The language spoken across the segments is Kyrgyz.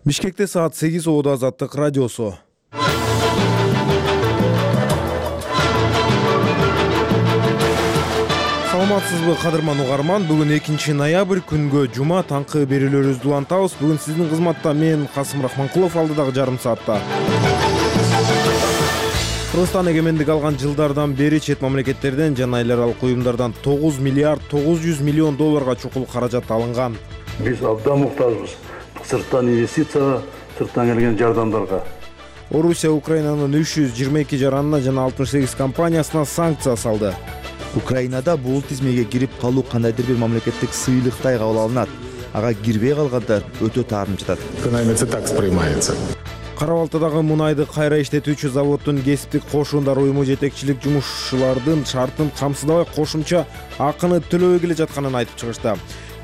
Бишкекте саат 8 Оодо Азаттык радиосу. Саламатсызбы кадырман угарман, бүгүн 2-ноябрь күнгө жума таңкы берүүлөрүбүздү улантабыз. Бүгүн сиздин кызматта мен Касым Рахманкулов, алдыдагы жарым саатта. Кыргызстан эгемендик алган жылдардан бери чет мамлекеттерден жана эл аралык уюмдардан 9 миллиард 900 миллион долларга чукул каражат алынган. Биз абдан муктажбыз сырттан инвестиция, сырттан келген жардамдарга. Орусия Украинанын 322 жаранына жана 68 компаниясына санкция салды. Украинада бул тизмеге кирип калуу кандайдыр бир мамлекеттик сыйлыктай кабыл алынат. Ага кирбей калгандар өтө таарынып жатат. Экономится так воспринимается. Кара-Балтадагы мунайды кайра иштетүүчү заводдун кесиптик кошундар уюму жетекчилик жумушчулардын шартын камсыздабай кошумча акыны төлөбөй келе жатканын айтып чыгышты.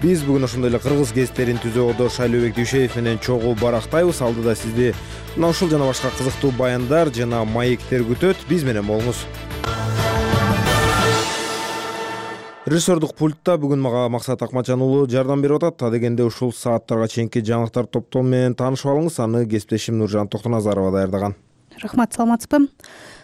Биз бүгүн ошондой эле кыргыз гезиттерин түзүүдө Шайлообек Дүйшеев менен чогуу барактайбыз. Алдыда сизди мына ушул жана башка кызыктуу баяндар жана маектер күтөт. Биз менен болуңуз. Режиссердук пультта бүгүн мага Максат Акмачан уулу жардам берип атат. Адегенде ушул сааттарга чейинки жаңылыктар топтому менен таанышып алыңыз. Аны кесиптешим Нуржан Токтоназарова даярдаган. Рахмат, саламатсызбы?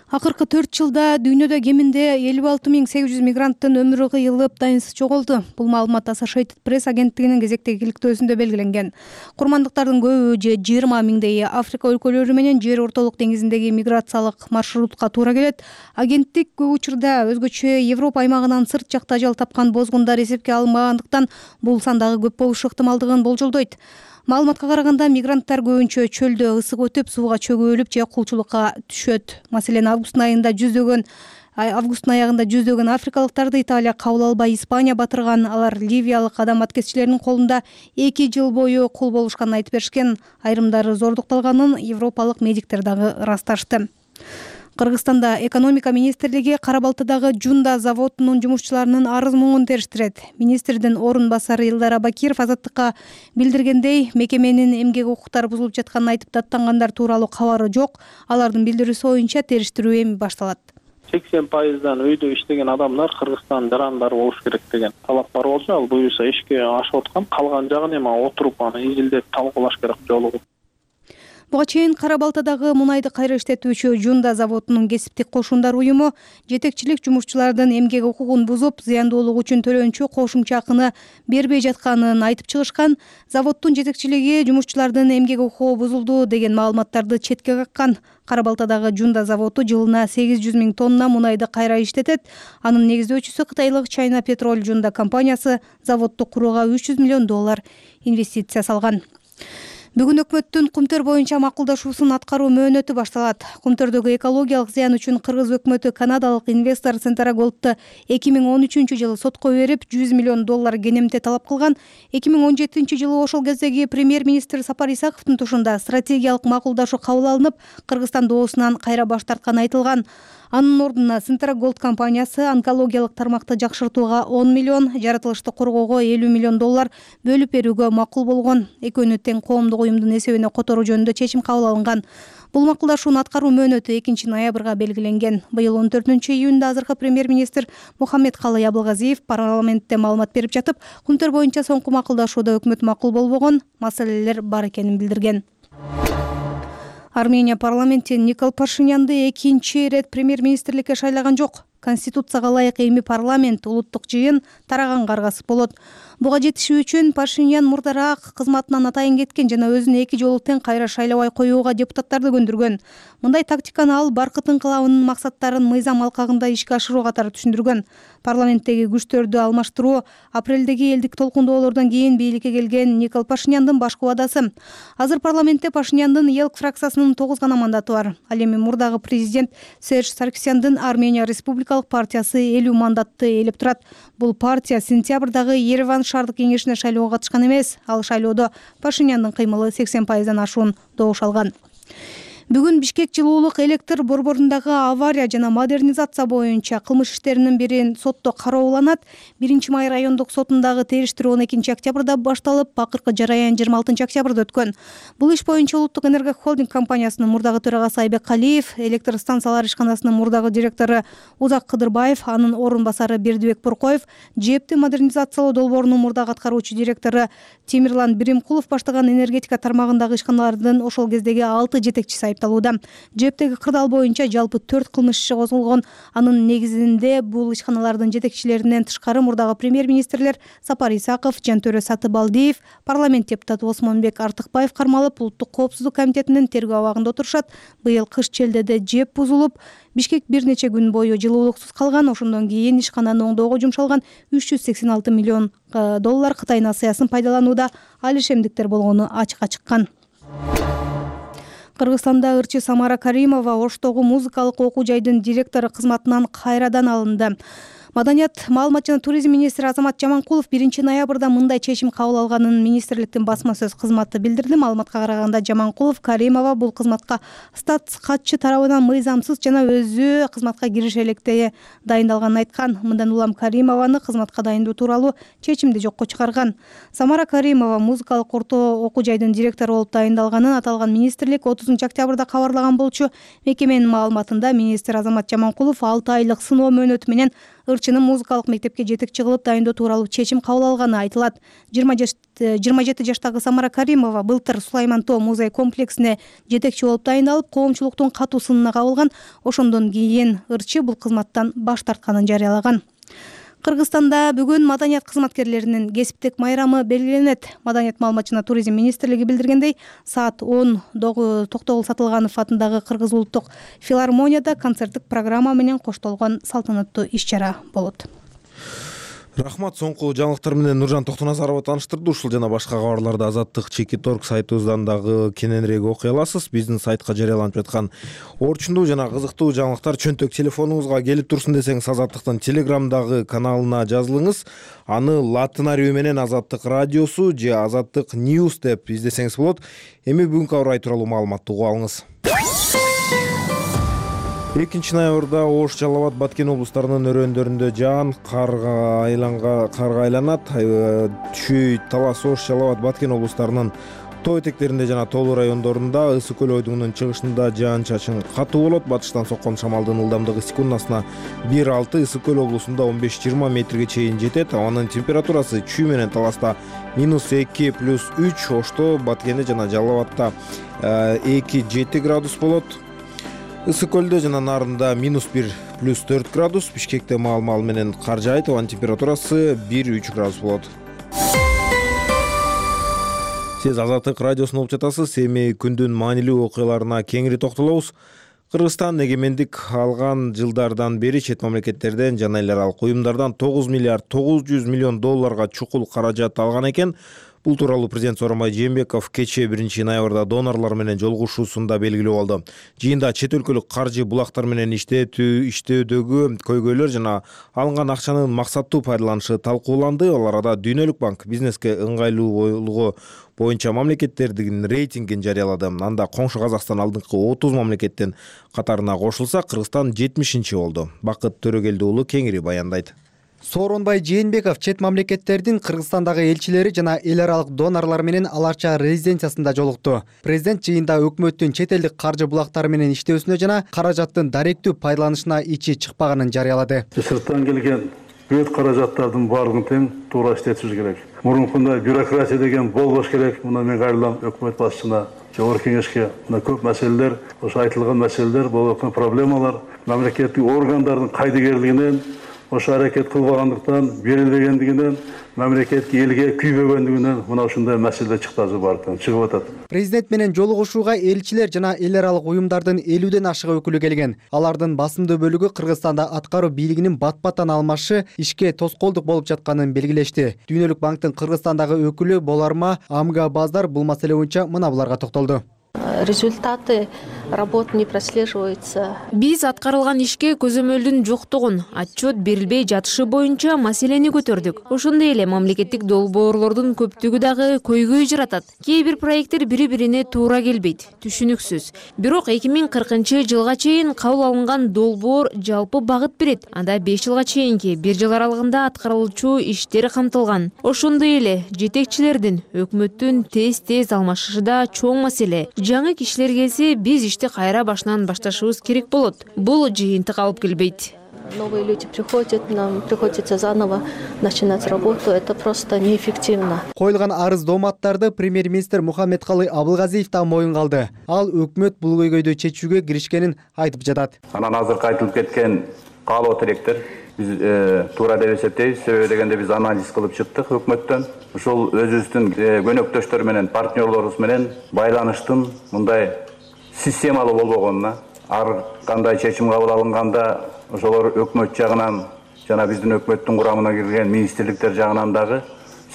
Акыркы 4 жылда дүйнөдө кеминде 56.800 мигранттын өмүрү кыйылып, дайынсыз жоголду. Бул маалымат Associated Press агенттигинин кезектеги иликтөөсүндө белгиленген. Курмандыктардын көбү же 20 миңдейи Африка өлкөлөрү менен Жер ортолук деңизиндеги миграциялык маршрутка туура келет. Агенттик көп учурда өзгөчө Европа аймагынан сырт жакта ажал тапкан бозгундар эсепке алынбагандыктан бул сандагы көп болушу ыктымалдыгын болжолдойт. Маалыматка караганда мигранттар көбүнчө чөлдө ысык өтүп, сууга чөгүлүп же кулчулукка түшөт. Маселен, августтун аягында жүздөгөн африкалыктарды Италия кабыл албай Испания батырган. Алар ливиялык адам аткезчилеринин колунда 2 жыл бою кул болушканын айтып беришкен. Айрымдары зордукталганын европалык медиктер дагы ырасташты. Кыргызстанда экономика министрлиги Кара-Балтадагы Жунда заводунун жумушчуларынын арыз-муңун териштирет. Министрдин орун басары Илдар Абакиров Азаттыкка билдиргендей, мекеменин эмгек укуктары бузулуп жатканын айтып даттангандар тууралуу кабары жок. Алардын билдирүүсү боюнча териштирүү эми башталат. 80% үйдө иштеген адамдар Кыргызстан жарандары болуш керек деген талап бар болчу. Ал буюрса ишке ашып аткан. Калган жагын эми отуруп аны изилдеп талкуулаш керек жолугу. Буга чейин Кара-Балтадагы мунайды кайра иштетүүчү Жунда заводунун кесиптик кошундар уюму жетекчилик жумушчулардын эмгек укугун бузуп, зыяндуулук үчүн төлөнчү кошумча акыны бербей жатканын айтып чыгышкан. Заводдун жетекчилиги жумушчулардын эмгек укугу бузулду деген маалыматтарды четке каккан. Кара-Балтадагы Жунда заводу жылына 800 000 тонна мунайды кайра иштетет. Анын негиздөөчүсү кытайлык China Petrol Жунда компаниясы заводду курууга 300 миллион доллар инвестиция салган. Бүгүн өкмөттүн Кумтөр боюнча макулдашуусун аткаруу мөөнөтү башталат. Кумтөрдөгү экологиялык зыян үчүн Кыргыз өкмөтү канадалык инвестор Centragold'ду 2013 жылы сотко берип, 100 миллион доллар кенемте талап кылган. 2017 жылы ошол кездеги премьер-министр Сапар Исаковдун тушунда стратегиялык макулдашуу кабыл алынып, Кыргызстан доосунан кайра баш тартканы айтылган. Анын ордуна Centragold компаниясы онкологиялык тармакты жакшыртууга 10 миллион, жаратылышты коргоого 50 миллион доллар бөлүп берүүгө макул болгон. Экөөнү тең коомдук уюмдун эсебине которуу жөнүндө чечим кабыл алынган. Бул макулдашуунун аткаруу мөөнөтү 2-ноябрга белгиленген. Быйыл 14-июнда азыркы премьер-министр Мухаммедкалый Абылгазиев парламентте маалымат берип жатып, Кумтөр боюнча соңку макулдашууда өкмөт макул болбогон маселелер бар экенин билдирген. Армения парламенти Никол Пашинянды экинчи ирет премьер-министрликке шайлаган жок. Конституцияга ылайык эми парламент улуттук жыйын тараганга аргасып болот. Буга жетишүү үчүн Пашинян мурдараак кызматынан атайын кеткен жана өзүн 2 жолу тең кайра шайлабай коюуга депутаттарды көндүргөн. Мындай тактиканы ал Баркыт инкылабынын максаттарын мыйзам алкагында ишке ашыруу катары түшүндүргөн. Парламенттеги күчтөрдү алмаштыруу апрелдеги элдик толкундоолордон кийин бийликке келген Никол Пашиняндын башкы убадасы. Азыр парламентте Пашиняндын ЕЛК фракциясынын 9 гана мандаты бар. Ал эми мурдагы президент Серж Саркисяндын Армения Республикалык партиясы 50 мандатты ээлеп турат. Бул партия сентябрдагы Ереван шаардык кеңешине шайлоого катышкан эмес. Ал шайлоодо Пашиняндын кыймылы 80%дан ашуун добуш алган. Бүгүн Бишкек жылуулук электр борборундагы авария жана модернизация боюнча кылмыш иштеринин бирин сотто карооланат. 1-Май райондук сотундагы териштирүү 12 октябрда башталып, акыркы жараян 26 октябрда өткөн. Бул иш боюнча Улуттук энерго холдинг компаниясынын мурдагы төрагасы Айбек Алиев, электр станциялар ишканасынын мурдагы директору Узак Кыдырбаев, анын орун басары Бердибек Буркоев, ЖЭБти модернизациялоо долбоорунун мурдагы аткаруучу директору Темирлан Биримкулов баштаган энергетика тармагындагы ишканалардын ошол кездеги 6 жетекчиси айыпталууда. ЖЭБтеги кырдаал боюнча жалпы 4 кылмыш иши козголгон. Анын негизинде бул ишканалардын жетекчилеринен тышкары мурдагы премьер-министрлер Сапар Исаков, Жантөрө Сатыбалдиев, парламент депутаты Осмонбек Артыкбаев кармалып, Улуттук коопсуздук комитетинин тергөө абагында отурушат. Быйыл кыш челдеде ЖЭБ бузулуп, Бишкек бир нече күн бою жылуулуксуз калган. Ошондон кийин ишкананы оңдоого жумшалган 386 миллион доллар Кытай насыясын пайдаланууда алишемдиктер болгону ачыкка чыккан. Кыргызстанда ырчы Самара Каримова Оштогу музыкалык окуу жайдын директору кызматынан кайрадан алынды. Маданият, маалымат жана туризм министри Азамат Жаманкулов 1-ноябрда мындай чечим кабыл алганын министрликтин басма сөз кызматы билдирди. Маалыматка караганда Жаманкулов Каримова бул кызматка статс катчы тарабынан мыйзамсыз жана өзү кызматка кириши электе дайындалганын айткан. Мындан улам Каримованы кызматка дайындоо тууралуу чечимди жокко чыгарган. Самара Каримова музыкалык орто окуу жайдын директору болуп дайындалганын аталган министрлик 30 октябрда кабарлаган болчу. Мекеменин маалыматында министр Азамат Жаманкулов 6 айлык сыноо мөөнөтү менен ырчынын музыкалык мектепке жетекчи кылып дайындоо тууралуу чечим кабыл алганы айтылат. 27 жаштагы Самара Каримова былтыр Сулайман Тоо музей комплексине жетекчи болуп дайындалып, коомчулуктун катуу сынына кабылган. Ошондон кийин ырчы бул кызматтан баш тартканын жарыялаган. Кыргызстанда бүгүн маданият кызматкерлеринин кесиптик майрамы белгиленет. Маданият, маалымат жана туризм министрлиги билдиргендей, саат 10 Токтогул Сатылганов атындагы Кыргыз улуттук филармонияда концерттик программа менен коштолгон салтанаттуу иш-чара болот. Рахмат. Соңку жаңылыктар менен Нуржан Токтоназарова тааныштырды. Ушул жана башка кабарларды Азаттык Чекиторг сайтыбыздан дагы кененирээк окуй аласыз. Биздин сайтка жарыяланып жаткан орчундуу жана кызыктуу жаңылыктар чөнтөк телефонуңузга келип турсун десеңиз, Азаттыктын Телеграмдагы каналына жазылыңыз. Аны латын арабы менен Азаттык радиосу же Азаттык News деп издесеңиз болот. Эми бүгүнкү аба ырайы тууралуу маалыматты угуп алыңыз. 2-ноябрда Ош, Жалал Абад, Баткен облустарынын өрөөндөрүндө жаан карга айланат. Чүй, Талас, Ош, Жалал Абад, Баткен облустарынын тоо этектеринде жана тоолуу райондорунда, ысык көл ойдуңунун чыгышында жаан-чачын катуу болот. Батыштан соккон шамалдын ылдамдыгы секундасына 1,6, ысык көл облусунда 15-20 метрге чейин жетет. Абанын температурасы Чүй менен Таласта -2 + 3, Ошто, Баткенде жана Жалал Абадта 2-7 градус болот. Ысык көлдө жана нарында -1 + 4 градус, Бишкекте маал менен кар жаайт, абанын температурасы 1-3 градус болот. Сиз Азаттык радиосун угуп жатасыз. Эми күндүн маанилүү окуяларына кеңири токтолобуз. Кыргызстан эгемендик алган жылдардан бери чет мамлекеттерден жана эл аралык уюмдардан 9 миллиард 900 миллион долларга чукул каражат алган экен. Бул тууралуу президент Сооронбай Жээнбеков кечээ 1-ноябрда донорлор менен жолугушуусунда белгилеп алды. Жыйында чет өлкөлүк каржы булактар менен иштөөдөгү көйгөйлөр жана алынган акчанын максаттуу пайдаланышы талкууланды. Ал арада Дүйнөлүк банк бизнеске ыңгайлуулугу боюнча мамлекеттердин рейтингин жарыялады. Анда коңшу Казакстан алдыңкы 30 мамлекеттин катарына кошулса, Кыргызстан 70-чи болду. Бакыт Төрөгелди уулу кеңири баяндайт. Сооронбай Жээнбеков чет мамлекеттердин Кыргызстандагы элчилери жана эл аралык донорлор менен Аларча резиденциясында жолукту. Президент жыйында өкмөттүн чет элдик каржы булактары менен иштөөсүнө жана каражаттын даректүү пайдаланышына ичи чыкпаганын жарыялады. Сырттан келген бүт каражаттардын баардыгын тең туура иштетишибиз керек. Мурункундай бюрократия деген болбош керек. Мына мен кайрылам өкмөт башчысына, жогорку кеңешке. Мына көп маселелер, ошо айтылган маселелер, болуп аткан проблемалар мамлекеттик органдардын кайдыгерлигинен, ошо аракет кылбагандыктан, берилбегендигинен, мамлекетке элге күйбөгөндүгүнөн мына ушундай маселе чыктазы бардыктан чыгып атат. Президент менен жолугушууга элчилер жана эл аралык уюмдардын 50ден ашык өкүлү келген. Алардын басымдуу бөлүгү Кыргызстанда аткаруу бийлигинин бат-баттан алмашы ишке тоскоолдук болуп жатканын белгилешти. Дүйнөлүк банктын Кыргызстандагы өкүлү Боларма Амга Баздар бул маселе боюнча мына буларга токтолду. Результаты работа не прослеживается. Биз аткарылган ишке көзөмөлдүн жоктугун, отчет берилбей жатышы боюнча маселени көтөрдүк. Ошондой эле мамлекеттик долбоорлордун көптүгү дагы көйгөй жаратат. Кээ бир проекттер бири-бирине туура келбейт, түшүнүксүз. Бирок 2040-жылга чейин кабыл алынган долбоор жалпы багыт берет. Анда 5 жылга чейинки 1 жыл аралыгында аткарылчу иштер камтылган. Ошондой эле жетекчилердин, өкмөттүн тез алмашышы да чоң маселе. Жаңы кишилер келсе, биз ишти кайра башынан башташыбыз керек болот. Бул жыйынтык алып келбейт. Новые люди приходят, нам приходится заново начинать работу. Это просто неэффективно. Коюлган арыз дооматтарды премьер-министр Мухаммедкалый Абылгазиев да моюнга алды. Ал өкмөт бул көйгөйдү чечүүгө киришкенин айтып жатат. Анан азыркы айтылып кеткен каалоо тилектер биз туура деп эсептейбиз. Себеби дегенде биз анализ кылып чыктык өкмөттөн. Ушул өзүбүздүн көнөктөштөр менен, партнерлорубуз менен байланыштын мындай системалуу болбогонуна, ар кандай чечим кабыл алынганда ошолор өкмөт жагынан жана биздин өкмөттүн курамына кирген министрликтер жагынан дагы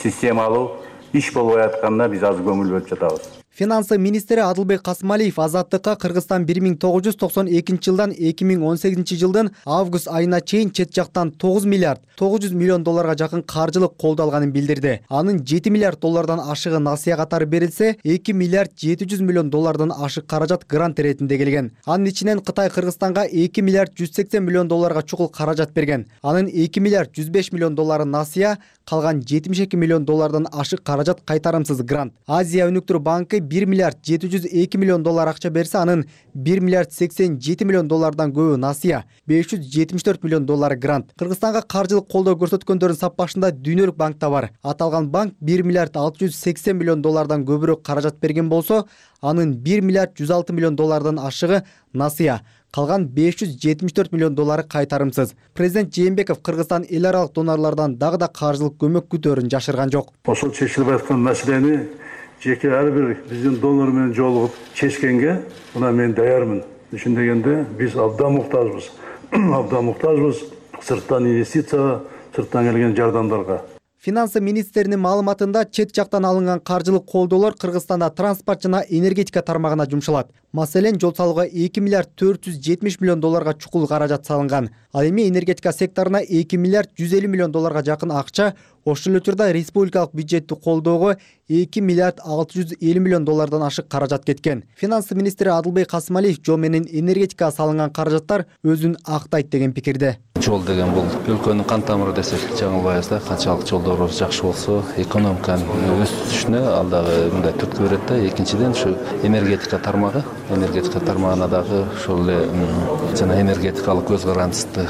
системалуу иш болбой атканына биз аз көңүл бөлүп жатабыз. Финансы министри Адылбек Касымалиев Азаттыкка Кыргызстан 1992 жылдан 2018 жылдын август айына чейин чет жактан 9 миллиард 900 миллион долларга жакын каржылык колдоо алганын билдирди. Анын 7 миллиард доллардан ашыгы насыя катары берилсе, 2 миллиард 700 миллион доллардан ашык каражат грант иретинде келген. Анын ичинен Кытай Кыргызстанга 2 миллиард 180 миллион долларга чукул каражат берген. Анын 2 миллиард 105 миллион доллары насыя, калган 72 миллион доллардан ашык каражат кайтарымсыз грант. Азия өнүктүрүү банкы 1 миллиард 702 миллион доллар акча берсе, анын 1 миллиард 87 миллион доллардан көбү насыя, 574 миллион доллары грант. Кыргызстанга каржылык колдоо көрсөткөндөрдүн саппашында Дүйнөлүк банк да бар. Аталган банк 1 миллиард 680 миллион доллардан көбүрөөк каражат берген болсо, анын 1 миллиард 106 миллион доллардан ашыгы насыя, калган 574 миллион доллары кайтарымсыз. Президент Жээнбеков Кыргызстан эл аралык донорлордон дагы да каржылык көмөк күтөөрүн жашырган жок. Ошол чечилип аткан маселени жеке ар бир биздин донор менен жолугуп чечкенге мына мен даярмын. Ушун дегенде биз абдан муктажбыз. Абдан муктажбыз сырттан инвестицияга, сырттан келген жардамдарга. Финансы министринин маалыматында чет жактан алынган каржылык колдоолор Кыргызстанда транспорт жана энергетика тармагына жумшалат. Маселен, жол салууга 2 миллиард 470 миллион долларга чукул каражат салынган. Ал эми энергетика секторуна 2 миллиард 150 миллион долларга жакын акча, ошол эле учурда республикалык бюджетти колдоого 2 миллиард 650 миллион доллардан ашык каражат кеткен. Финансы министри Адылбек Касымалиев жол менен энергетикага салынган каражаттар өзүн актайт деген пикирде. Жол деген бул өлкөнүн кан тамыры десек жаңылбайбыз да. Канчалык жолдорубуз жакшы болсо, экономиканын өсүшүнө ал дагы мындай түрткү берет да. Экинчиден ушу энергетика тармагына дагы ошол эле жана энергетикалык көз карандысты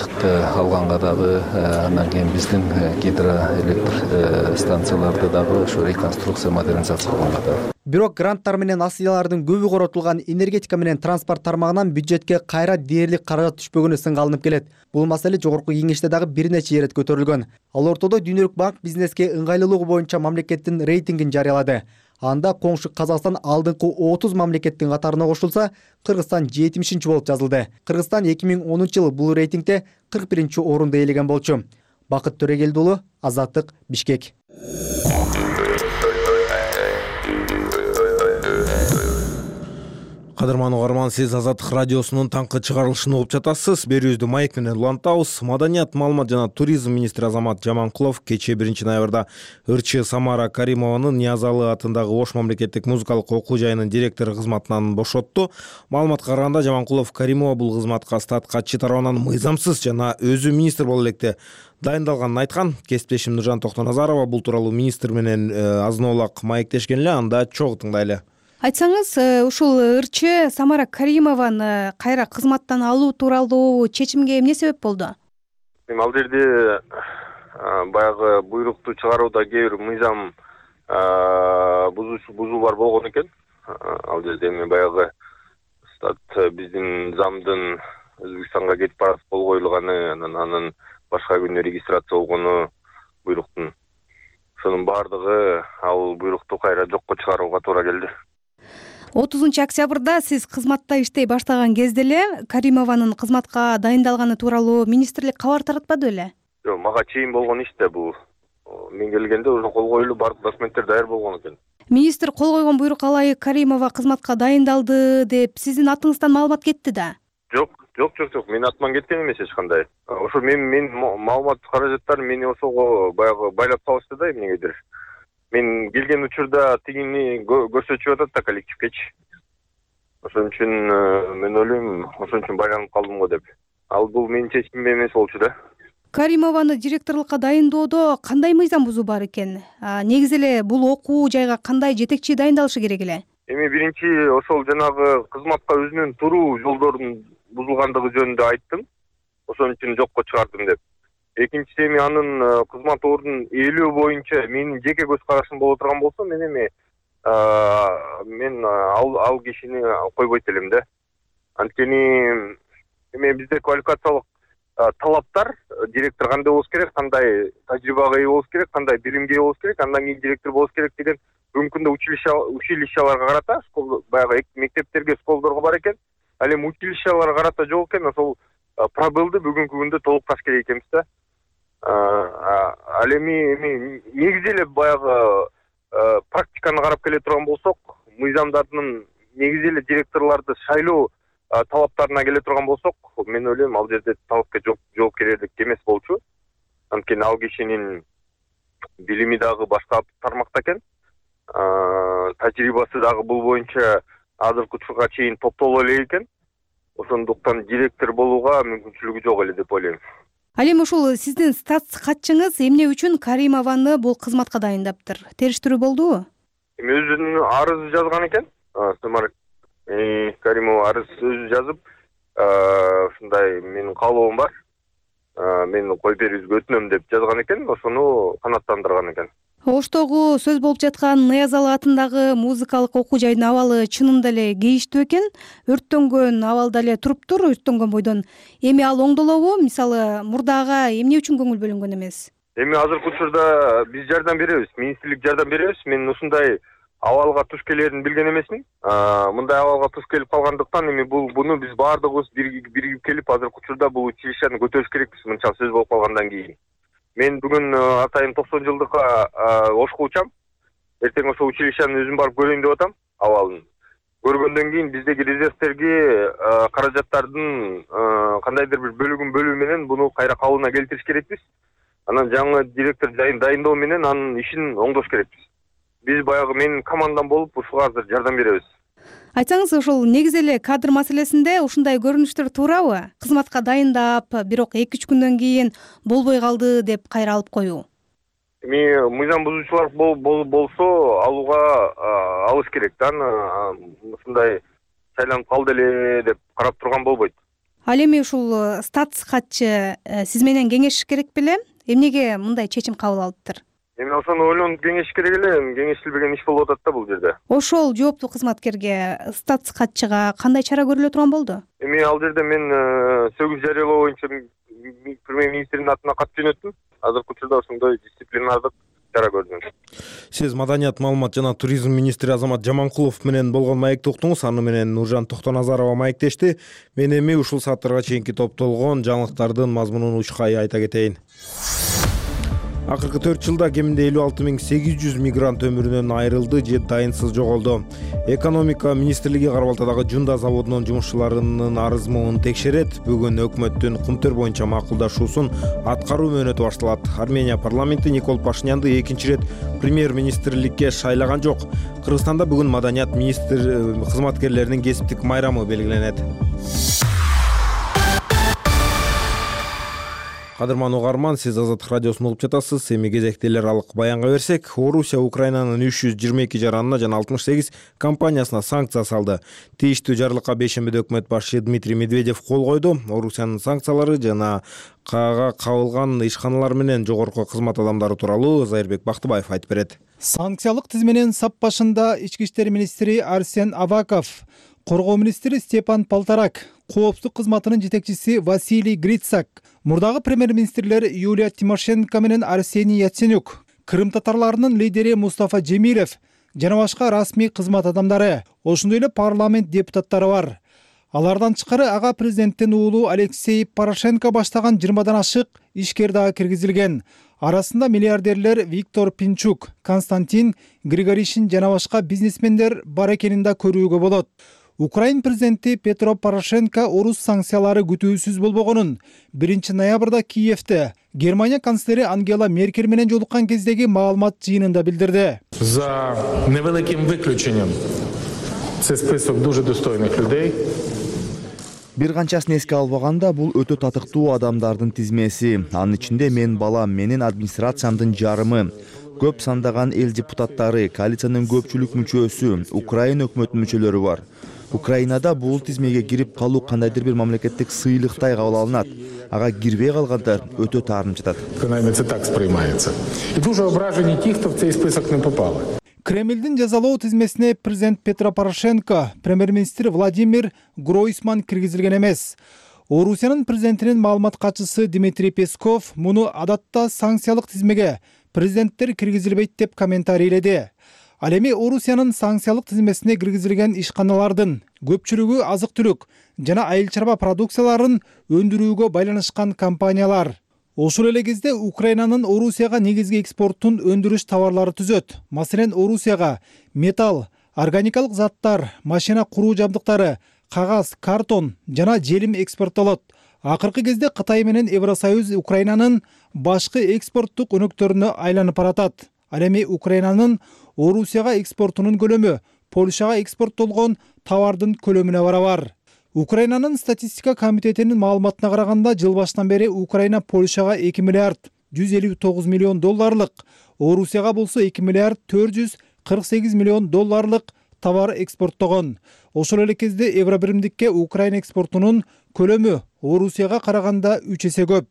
алганга дагы, андан кийин биздин гидроэлектр станцияларды дагы ошо реконструкция, модернизация кылганга дагы. Бирок гранттар менен насыялардын көбү коротулган энергетика менен транспорт тармагынан бюджетке кайра дээрлик каражат түшпөгөнү сынга алынып келет. Бул маселе жогорку кеңеште дагы бир нече ирет көтөрүлгөн. Ал ортодо Дүйнөлүк банк бизнеске ыңгайлуулугу боюнча мамлекеттин рейтингин жарыялады. Анда коңшу Казакстан алдыңкы 30 мамлекеттин катарына кошулса, Кыргызстан 70-чи болуп жазылды. Кыргызстан 2010 жылы бул рейтингде 41-чи орунду ээлеген болчу. Бакыт Төрегелди уулу, Азаттык, Бишкек. Кадырман угарман, сиз Азаттык радиосунун таңкы чыгарылышын угуп жатасыз. Берүүбүздү маек менен улантабыз. Маданият, маалымат жана туризм министри Азамат Жаманкулов кечээ 1 ноябрда ырчы Самара Каримованын Ниязалы атындагы Ош мамлекеттик музыкалык окуу жайынын директору кызматынан бошотту. Маалыматка караганда Жаманкулов Каримова бул кызматка статкачы тарабынан мыйзамсыз жана өзү министр боло электе дайындалганын айткан. Кесиптешим Нуржан Токтоназарова бул тууралуу министр менен азын-аулак маектешкен эле, анда чогуу тыңдайлы. Айтсаңыз, ушул ырчы Самара Каримованы кайра кызматтан алуу тууралуу чечимге эмне себеп болду? Ал жерде баягы буйрукту чыгарууда кээ бир мыйзам бузуулар болгон экен. Ал жерде эми баягы биздин замдын Өзбекстанга кетип барып кол коюлганы, анын башка күнү регистрация болгону буйруктун. Ошонун баардыгы ал буйрукту кайра жокко чыгарууга туура келди. 30 октябрда сиз кызматта иштей баштаган кезде эле Каримованын кызматка дайындалганы тууралуу министрлик кабар таратпады беле? Жок, мага чейин болгон иш да бул. Мен келгенде уже кол коюлуп бардык документтер даяр болгон экен. Министр кол койгон буйрукка ылайык Каримова кызматка дайындалды деп сиздин атыңыздан маалымат кетти да? Жок. Менин атыман кеткен эмес эч кандай. Ошо мен маалымат каражаттарын мени ошого баягы байлап салышты да эмнегедир. Мен келген учурда тигини көрсөтүп атат да коллективкечи. Ошон үчүн мен ойлойм, ошон үчүн байланып калдым го деп. Ал бул менин чечимим эмес болчу да. Каримованы директорлукка дайындоодо кандай мыйзам бузуу бар экен? Негизи эле бул окуу жайга кандай жетекчи дайындалышы керек эле? Эми биринчи ошол жанагы кызматка өзүнүн туруу жолдорунун бузулгандыгы жөнүндө айттым. Ошон үчүн жокко чыгардым деп. Экинчиси эми анын кызмат ордунун ээлөө боюнча менин жеке көз карашым боло турган болсо, мен ал кишини койбойт элем да. Анткени эми бизде квалификациялык талаптар директор кандай болуш керек, кандай тажрыйбага ээ болуш керек, кандай билимге ээ болуш керек, андан кийин директор болуш керек деген бүгүнкү күндө училищаларга карата, баягы мектептерге, школдорго бар экен. Ал эми училищаларга карата жок экен, ошол пробелди бүгүнкү күндө толукташ керек экенбиз да. Ал эми негизи эле баягы практиканы карап келе турган болсок, мыйзамдардын негизи эле директорлорду шайлоо талаптарына келе турган болсок, мен ойлойм ал жерде талапка жоопкерлик эмес болчу. Анткени ал кишинин билими дагы башка тармакта экен. Тажрыйбасы дагы бул боюнча азыркы учурга чейин топтоло элек экен. Ошондуктан директор болууга мүмкүнчүлүгү жок эле деп ойлойм. Ал эми ушул сиздин статс катчыңыз эмне үчүн Каримованы бул кызматка дайындаптыр? Териштирүү болдубу? Эми өзүнүн арыз жазган экен. Каримова арыз өзү жазып, ушундай менин каалоом бар. Мен коюп берүүгө өтүнөм деп жазган экен, ошону канааттандырган экен. Оштогу сөз болуп жаткан Ныязалы атындагы музыкалык окуу жайдын абалы чынында эле кейиштүү экен. Өрттөнгөн абалда эле туруптур, өрттөнгөн бойдон. Эми ал оңдолобу? Мисалы, мурдага эмне үчүн көңүл бөлүнгөн эмес? Эми азыркы учурда биз жардам беребиз, министрлик жардам беребиз. Мен ушундай абалга туш келерин билген эмесмин. Мындай абалга туш келип калгандыктан эми буну биз баардыгыбыз биригип келип азыркы учурда бул училищени көтөрүш керекпиз, мынча сөз болуп калгандан кийин. Мен бүгүн атайын 90 жылдыкка ошко учам. Эртең ошо училищени өзүм барып көрөйүн деп атам, абалын. Көргөндөн кийин биздеги резервтерге каражаттардын кандайдыр бир бөлүгүн бөлүү менен буну кайра калыбына келтириш керекпиз. Анан жаңы директор дайындоо менен анын ишин оңдош керекпиз. Биз баягы менин командам болуп ушуга азыр жардам беребиз. Айтсаңыз, ошол негизи эле кадр маселесинде ушундай көрүнүштөр туурабы? Кызматка дайындап, бирок 2-3 күндөн кийин болбой калды деп кайра алып коюу. Эми мыйзам бузуучулар болсо алууга алыш керек да. Ушундай шайланып калды эле деп карап турган болбойт. Ал эми ушул статс катчы сиз менен кеңешиш керек беле? Эмнеге мындай чечим кабыл алыптыр? Эми ошону ойлонуп кеңешиш керек эле, кеңешилбеген иш болуп атат да бул жерде. Ошол жооптуу кызматкерге, статс катчыга кандай чара көрүлө турган болду? Эми ал жерде мен сөгүз жарыялоо боюнча премьер-министрдин атына кат жөнөттүм. Азыркы учурда ошондой дисциплинардык чара көрдүм. Сиз Маданият, маалымат жана туризм министри Азамат Жаманкулов менен болгон маекти уктуңуз. Аны менен Нуржан Токтоназарова маектешти. Мен эми ушул сааттарга чейинки топтолгон жаңылыктардын мазмунун учкай айта кетейин. Акыркы 4 жылда кеминде 56.800 мигрант өмүрүнөн айрылды же дайынсыз жоголду. Экономика министрлиги Кара Балтадагы Жунда заводунун жумушчуларынын арызмын текшерет. Бүгүн өкмөттүн кумтөр боюнча макулдашуусун аткаруу мөөнөтү башталат. Армения парламенти Никол Пашинянды экинчи ирет премьер-министрликке шайлаган жок. Кыргызстанда бүгүн маданият министр кызматкерлеринин кесиптик майрамы белгиленет. Кадырман угарман, сиз Азаттык радиосунда болуп жатасыз. Эми кезекте эл аралык баянга берсек, Орусия Украинанын 322 жаранына жана 68 компаниясына санкция салды. Тийиштүү жарлыкка бейшембиде өкмөт башчы Дмитрий Медведев кол койду. Орусиянын санкциялары жана каага кабылган ишканалар менен жогорку кызмат адамдары тууралуу Зайырбек Бактыбаев айтып берет. Санкциялык тизменин сап башында ички иштер министри Арсен Аваков, коргоо министри Степан Полторак, коопсуздук кызматынын жетекчиси Василий Грицак, мурдагы премьер-министрлер Юлия Тимошенко менен Арсений Яценюк, Крым татарларынын лидери Мустафа Джемилев жана башка расмий кызмат адамдары, ошондой эле парламент депутаттары бар. Алардан тышкары ага президенттин уулу Алексей Порошенко баштаган 20дан ашык ишкер дагы киргизилген. Арасында миллиардерлер Виктор Пинчук, Константин Григоришин жана башка бизнесмендер бар экенин да көрүүгө болот. Украин президенти Петро Порошенко орус санкциялары күтүүсүз болбогонун 1 ноябрда Киевте Германия канцлери Ангела Меркель менен жолуккан кездеги маалымат жыйынында билдирди. За невеликим выключением це список дуже достойных людей. Бир канчасын эске албаганда бул өтө татыктуу адамдардын тизмеси. Анын ичинде менин балам, менин администрациямдын жарымы, көп сандаган эл депутаттары, коалициянын көпчүлүк мүчөсү, Украина өкмөтүнүн мүчөлөрү бар. Украинада бул тизмеге кирип калуу кандайдыр бир мамлекеттик сыйлыктай кабыл алынат. Ага кирбей калгандар өтө таарынып жатат. Це так сприймається. І дуже ображені ті, хто в цей список не попали. Кремлдин жазалоо тизмесине президент Петро Порошенко, премьер-министр Владимир Гройсман киргизилген эмес. Орусиянын президентинин маалымат катчысы Дмитрий Песков муну адатта санкциялык тизмеге президенттер киргизилбейт деп комментарийледи. Ал эми Орусиянын санкциялык тизмесине киргизилген ишканалардын көпчүлүгү азык-түлүк жана айыл чарба продукцияларын өндүрүүгө байланышкан компаниялар. Ошол эле кезде Украинанын Орусияга негизги экспортун өндүрүш товарлары түзөт. Маселен, Орусияга металл, органикалык заттар, машина куруу жабдыктары, кагаз, картон жана желим экспорттолот. Акыркы кезде Кытай менен Евросоюз Украинанын башкы экспорттук өнөктөрүнө айланып баратат. Ал эми Украинанын Орусияга экспортунун көлөмү Польшага экспорттолгон товардын көлөмүнө барабар. Украинанын статистика комитетинин маалыматына караганда, жыл башынан бери Украина Польшага 2 миллиард 159 миллион долларлык, Орусияга болсо 2 миллиард 448 миллион долларлык товар экспорттогон. Ошол эле кезде Евробиримдикке Украина экспортунун көлөмү Орусияга караганда 3 эсе көп.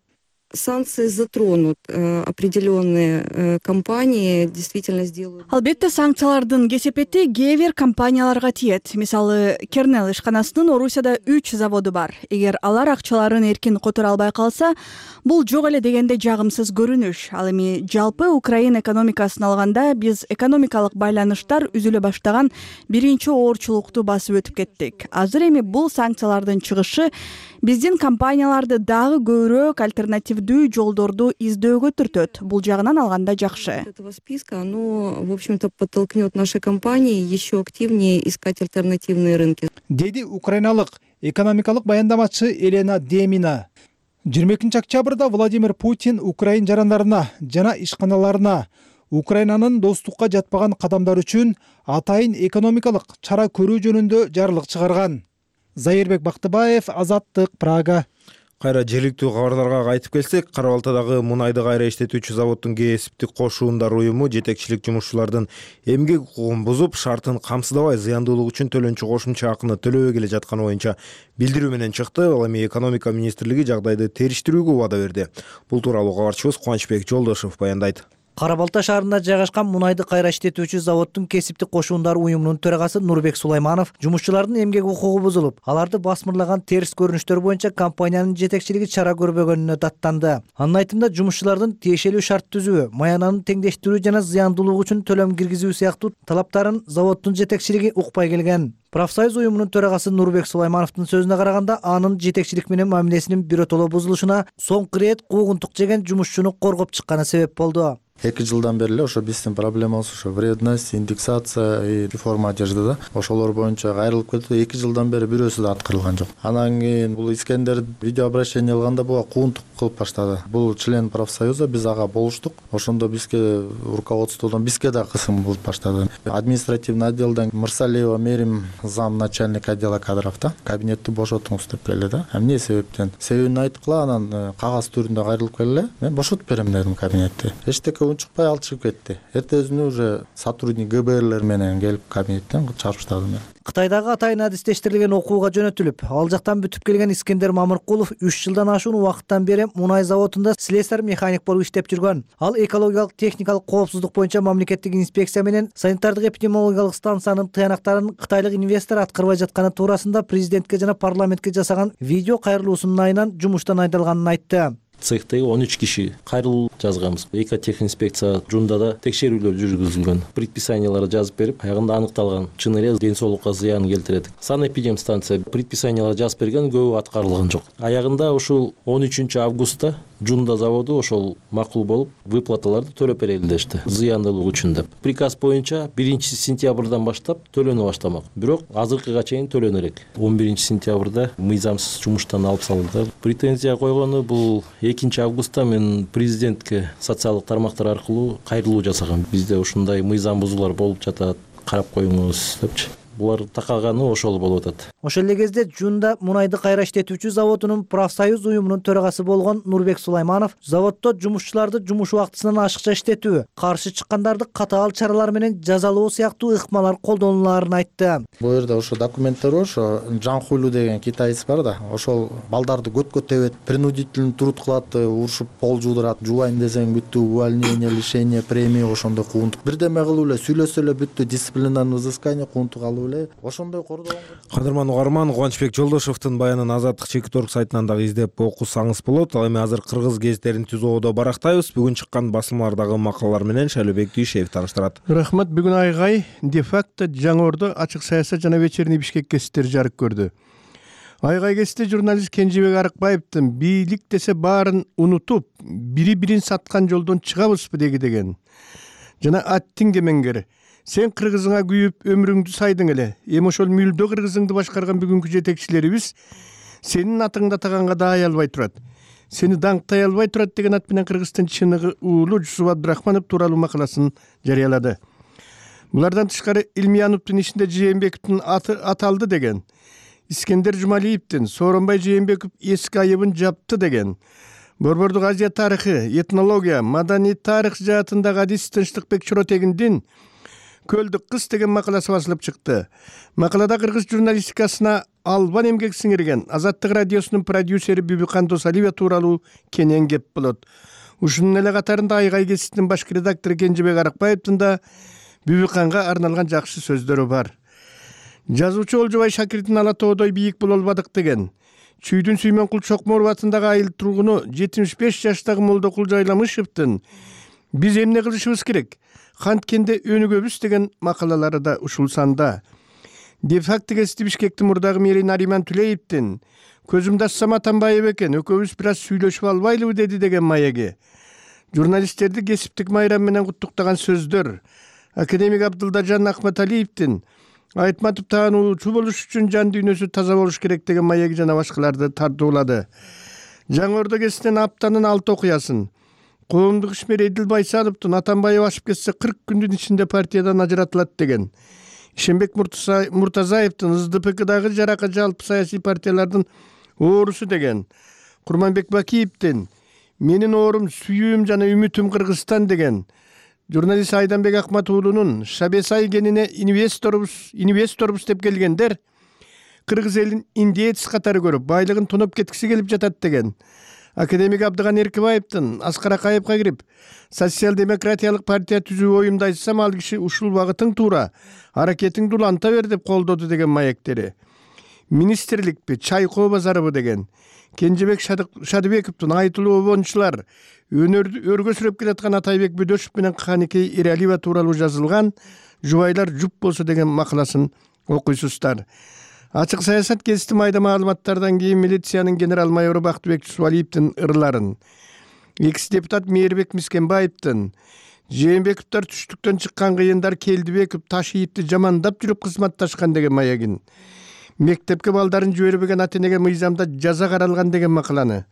Санкции затронут определенные компании, действительно сделают. Албетте санкциялардын кесепети кээ бир компанияларга тиет. Мисалы, Кернел ишканасынын Орусияда 3 заводу бар. Эгер алар акчаларын эркин которо албай калса, бул жок эле дегенде жагымсыз көрүнүш. Ал эми жалпы Украина экономикасын алганда биз экономикалык байланыштар үзүлө баштаган биринчи оорчулукту басып өтүп кеттик. Азыр эми бул санкциялардын чыгышы биздин компанияларды дагы көбүрөөк альтернативдүү жолдорду издөөгө түртөт. Бул жагынан алганда жакшы. Этого списка, оно, в общем-то, подтолкнет наши компании еще активнее искать альтернативные рынки. Деди украиналык экономикалык баяндамачы Елена Демина. 22 октябрда Владимир Путин Украин жарандарына жана ишканаларына Украинанын достукка жатпаган кадамдар үчүн атайын экономикалык чара көрүү жөнүндө жарлык чыгарган. Зайырбек Бактыбаев, Азаттык, Прага. Кайра жергиликтүү кабарларга кайтып келсек, Кара Балтадагы мунайды кайра иштетүүчү заводдун кесиптик кошуундар уюму жетекчилик жумушчулардын эмгек укугун бузуп, шартын камсыздабай зыяндуулук үчүн төлөнчү кошумча акыны төлөбөй келе жатканы боюнча билдирүү менен чыкты. Ал эми экономика министрлиги жагдайды териштирүүгө убада берди. Бул тууралуу кабарчыбыз Кубанычбек Жолдошев баяндайт. Кара Балта шаарында жайгашкан мунайды кайра иштетүүчү заводдун кесиптик кошуундар уюмунун төрагасы Нурбек Сулайманов жумушчулардын эмгек укугу бузулуп, аларды басмырлаган терс көрүнүштөр боюнча компаниянын жетекчилиги чара көрбөгөнүнө даттанды. Анын айтымында жумушчулардын тиешелүү шарт түзүү, маянанын теңдештирүү жана зыяндуулук үчүн төлөм киргизүү сыяктуу талаптарын заводдун жетекчилиги укпай келген. Профсоюз уюмунун төрагасы Нурбек Сулаймановдун сөзүнө караганда, анын жетекчилик менен мамилесинин биротоло бузулушуна соңку ирет куугунтук жеген жумушчуну коргоп чыкканы себеп болду. 2 жылдан бери эле ошо биздин проблемабыз ошо вредность, индексация и реформа одежды да. Ошолор боюнча кайрылып кетти. 2 жылдан бери бирөөсү да аткарылган жок. Анан кийин бул Искендер видео обращение алганда буга куугунтук кылып баштады. Бул член профсоюза, биз ага болуштук. Ошондо бизге руководстводон бизге да кысым болуп баштады. Административный отделден Мырсалиева Мерим зам начальник отдела кадров да кабинетти бошотуңуз деп келди да. Эмне себептен? Себебин айткыла, анан кагаз түрүндө кайрылып келе. Мен бошотуп берем дедим кабинетти. Эчтеке чыкпай ал чыгып кетти. Эртесине уже сотрудник ГБРлер менен келип кабинеттен чыгарып таштады мени. Кытайдагы атайын адистештирилген окууга жөнөтүлүп, ал жактан бүтүп келген Искендер Мамыркулов 3 жылдан ашуун убакыттан бери мунай заводунда слесарь механик болуп иштеп жүргөн. Ал экологиялык техникалык коопсуздук боюнча мамлекеттик инспекция менен санитардык эпидемиологиялык станциянын тыянактарын кытайлык инвестор аткарбай жатканы туурасында президентке жана парламентке жасаган видео кайрылуусунун айынан жумуштан айдалганын айтты. Цехтеги 13 киши кайрылуу жазганбыз. Экотехинспекция жундада текшерүүлөр жүргүзүлгөн. Предписанияларды жазып берип, аягында аныкталган чын эле ден соолукка зыян келтирет. Санэпидемстанция предписанияларды жазып берген, көбү аткарылган жок. Аягында ушул 13 августта Жунда заводу ошол макул болуп выплаталарды төлөп берели дешти, зыяндуулук үчүн деп. Приказ боюнча 1 сентябрдан баштап төлөнө баштамак. Бирок азыркыга чейин төлөнөрөк. 11 сентябрда мыйзамсыз жумуштан алып салынды. Претензия койгону бул 2 августта мен президентке социалдык тармактар аркылуу кайрылуу жасагам. Бизде ушундай мыйзам бузуулар болуп жатат, карап коюңуз депчи. Булар такаганы ошол болуп атат. Ошол эле кезде Жунда мунайды кайра иштетүүчү заводунун профсоюз уюмунун төрагасы болгон Нурбек Сулайманов заводдо жумушчуларды жумуш убактысынан ашыкча иштетүү, каршы чыккандарды катаал чаралар менен жазалоо сыяктуу ыкмалар колдонулаарын айтты. Бул жерде ошо документтер бар, ошо Жан Хулю деген китаец бар да, ошол балдарды көткө тебет, принудительный труд кылат, урушуп пол жуудурат, жубайын десең бүттү, увольнение, лишение премии, ошондой кууntук. Бирдеме кылып эле сүйлөсө эле бүттү, дисциплинарный взыскание, кууntук алып ошондой кордогон. Кадырман угарман, Кубанычбек Жолдошовдун баянын Азаттык Чекиторг сайтынан дагы издеп окусаңыз болот. Ал эми азыр кыргыз гезиттерин түзүүдө барактайбыз. Бүгүн чыккан басылмалардагы макалалар менен Шайлообек Дүйшеев тааныштырат. Рахмат. Бүгүн Айгай де-факто Жаңы-Ордо ачык саясат жана вечерний Бишкек гезиттери жарык көрдү. Айгай гезитте журналист Кенжебек Арыкбаевдин бийлик десе баарын унутуп, бири-бирин саткан жолдон чыгабызбы деген. Жана аттиң кемеңгер. Сен кыргызыңа күйүп өмүрүңдү сайдың эле. Эми ошол мүлдө кыргызыңды башкарган бүгүнкү жетекчилерибиз сенин атыңды атаганга да аялбай турат. Сени даңктай албай турат деген ат менен Кыргызстан чыныгы уулу Жусуп Абдрахманов тууралуу макаласын жарыялады. Булардан тышкары Илмияновдун ишинде Жээнбековдун аты аталды деген. Искендер Жумалиевдин Сооронбай Жээнбеков эски айыбын жапты деген. Борбордук Азия тарыхы, этнология, маданий тарых жаатындагы адис Тынчтыкбек Чоротегиндин Көлдүк кыз деген макаласы басылып чыкты. Макалада кыргыз журналистикасына албан эмгек сиңирген Азаттык радиосунун продюсери Бүбүкан Досалиева тууралуу кенен кеп болот. Ушунун эле катарында Айгай гезитинин баш редактору Кенжебек Арыкбаевдин да Бүбүканга арналган жакшы сөздөрү бар. Жазуучу Олжобай Шакирдин ала тоодой бийик боло албадык деген. Чүйдүн Сүймөнкул Чокморов атындагы айыл тургуну 75 жаштагы Молдокул Жайламышевдин биз эмне кылышыбыз керек? Канткенде өнүгөбүз деген макалалары да ушул санда. Де-факто гезити Бишкектин мурдагы мэри Нариман Түлеевдин көзүмдү ачсам Атамбаев экен, экөөбүз бир аз сүйлөшүп албайлыбы деди деген маеги. Журналисттерди кесиптик майрам менен куттуктаган сөздөр. Академик Абдылдажан Акматалиевдин Айтматов таануучу болуш үчүн жан дүйнөсү таза болуш керек деген маеги жана башкаларды тартуулады. Жаңы-Ордо гезитинин аптанын 6 окуясын коомдук ишмер Эдил Байсановдун Атамбаев ашып кетсе 40 күндүн ичинде партиядан ажыратылат деген. Ишенбек Муртазаевдин СДПКдагы жарака жалпы саясий партиялардын оорусу деген. Курманбек Бакиевдин менин оорум, сүйүүм жана үмүтүм Кыргызстан деген. Журналист Айданбек Акматуулунун Шабесай кенине инвесторбуз деп келгендер кыргыз элин индеец катары көрүп, байлыгын тоноп кеткиси келип жатат деген. Академик Абдыган Эркибаевдин Аскар Акаевга кирип, социал-демократиялык партия түзүү оюмду айтсам, ал киши ушул багытың туура, аракетиңди уланта бер деп колдоду деген маектери. Министрликпи, чайкоо базарыбы деген. Кенжебек Шадыбековдун айтылуу обончулар, өргө сүрөп келаткан Атайбек Бөдөшев менен Каникей Эралиева тууралуу жазылган Жубайлар жуп болсо деген макаласын окуйсуздар. Ачык саясат гезити майда маалыматтардан кийин милициянын генерал майору Бактыбек Жусупалиевдин ырларын, экс-депутат Мээрбек Мискенбаевдин Жээнбековдор түштүктөн чыккан кыйындар Келдибеков Ташиевди жамандап жүрүп кызматташкан деген маягин, мектепке балдарын жибербеген ата-энеге мыйзамда жаза каралган деген макаланы,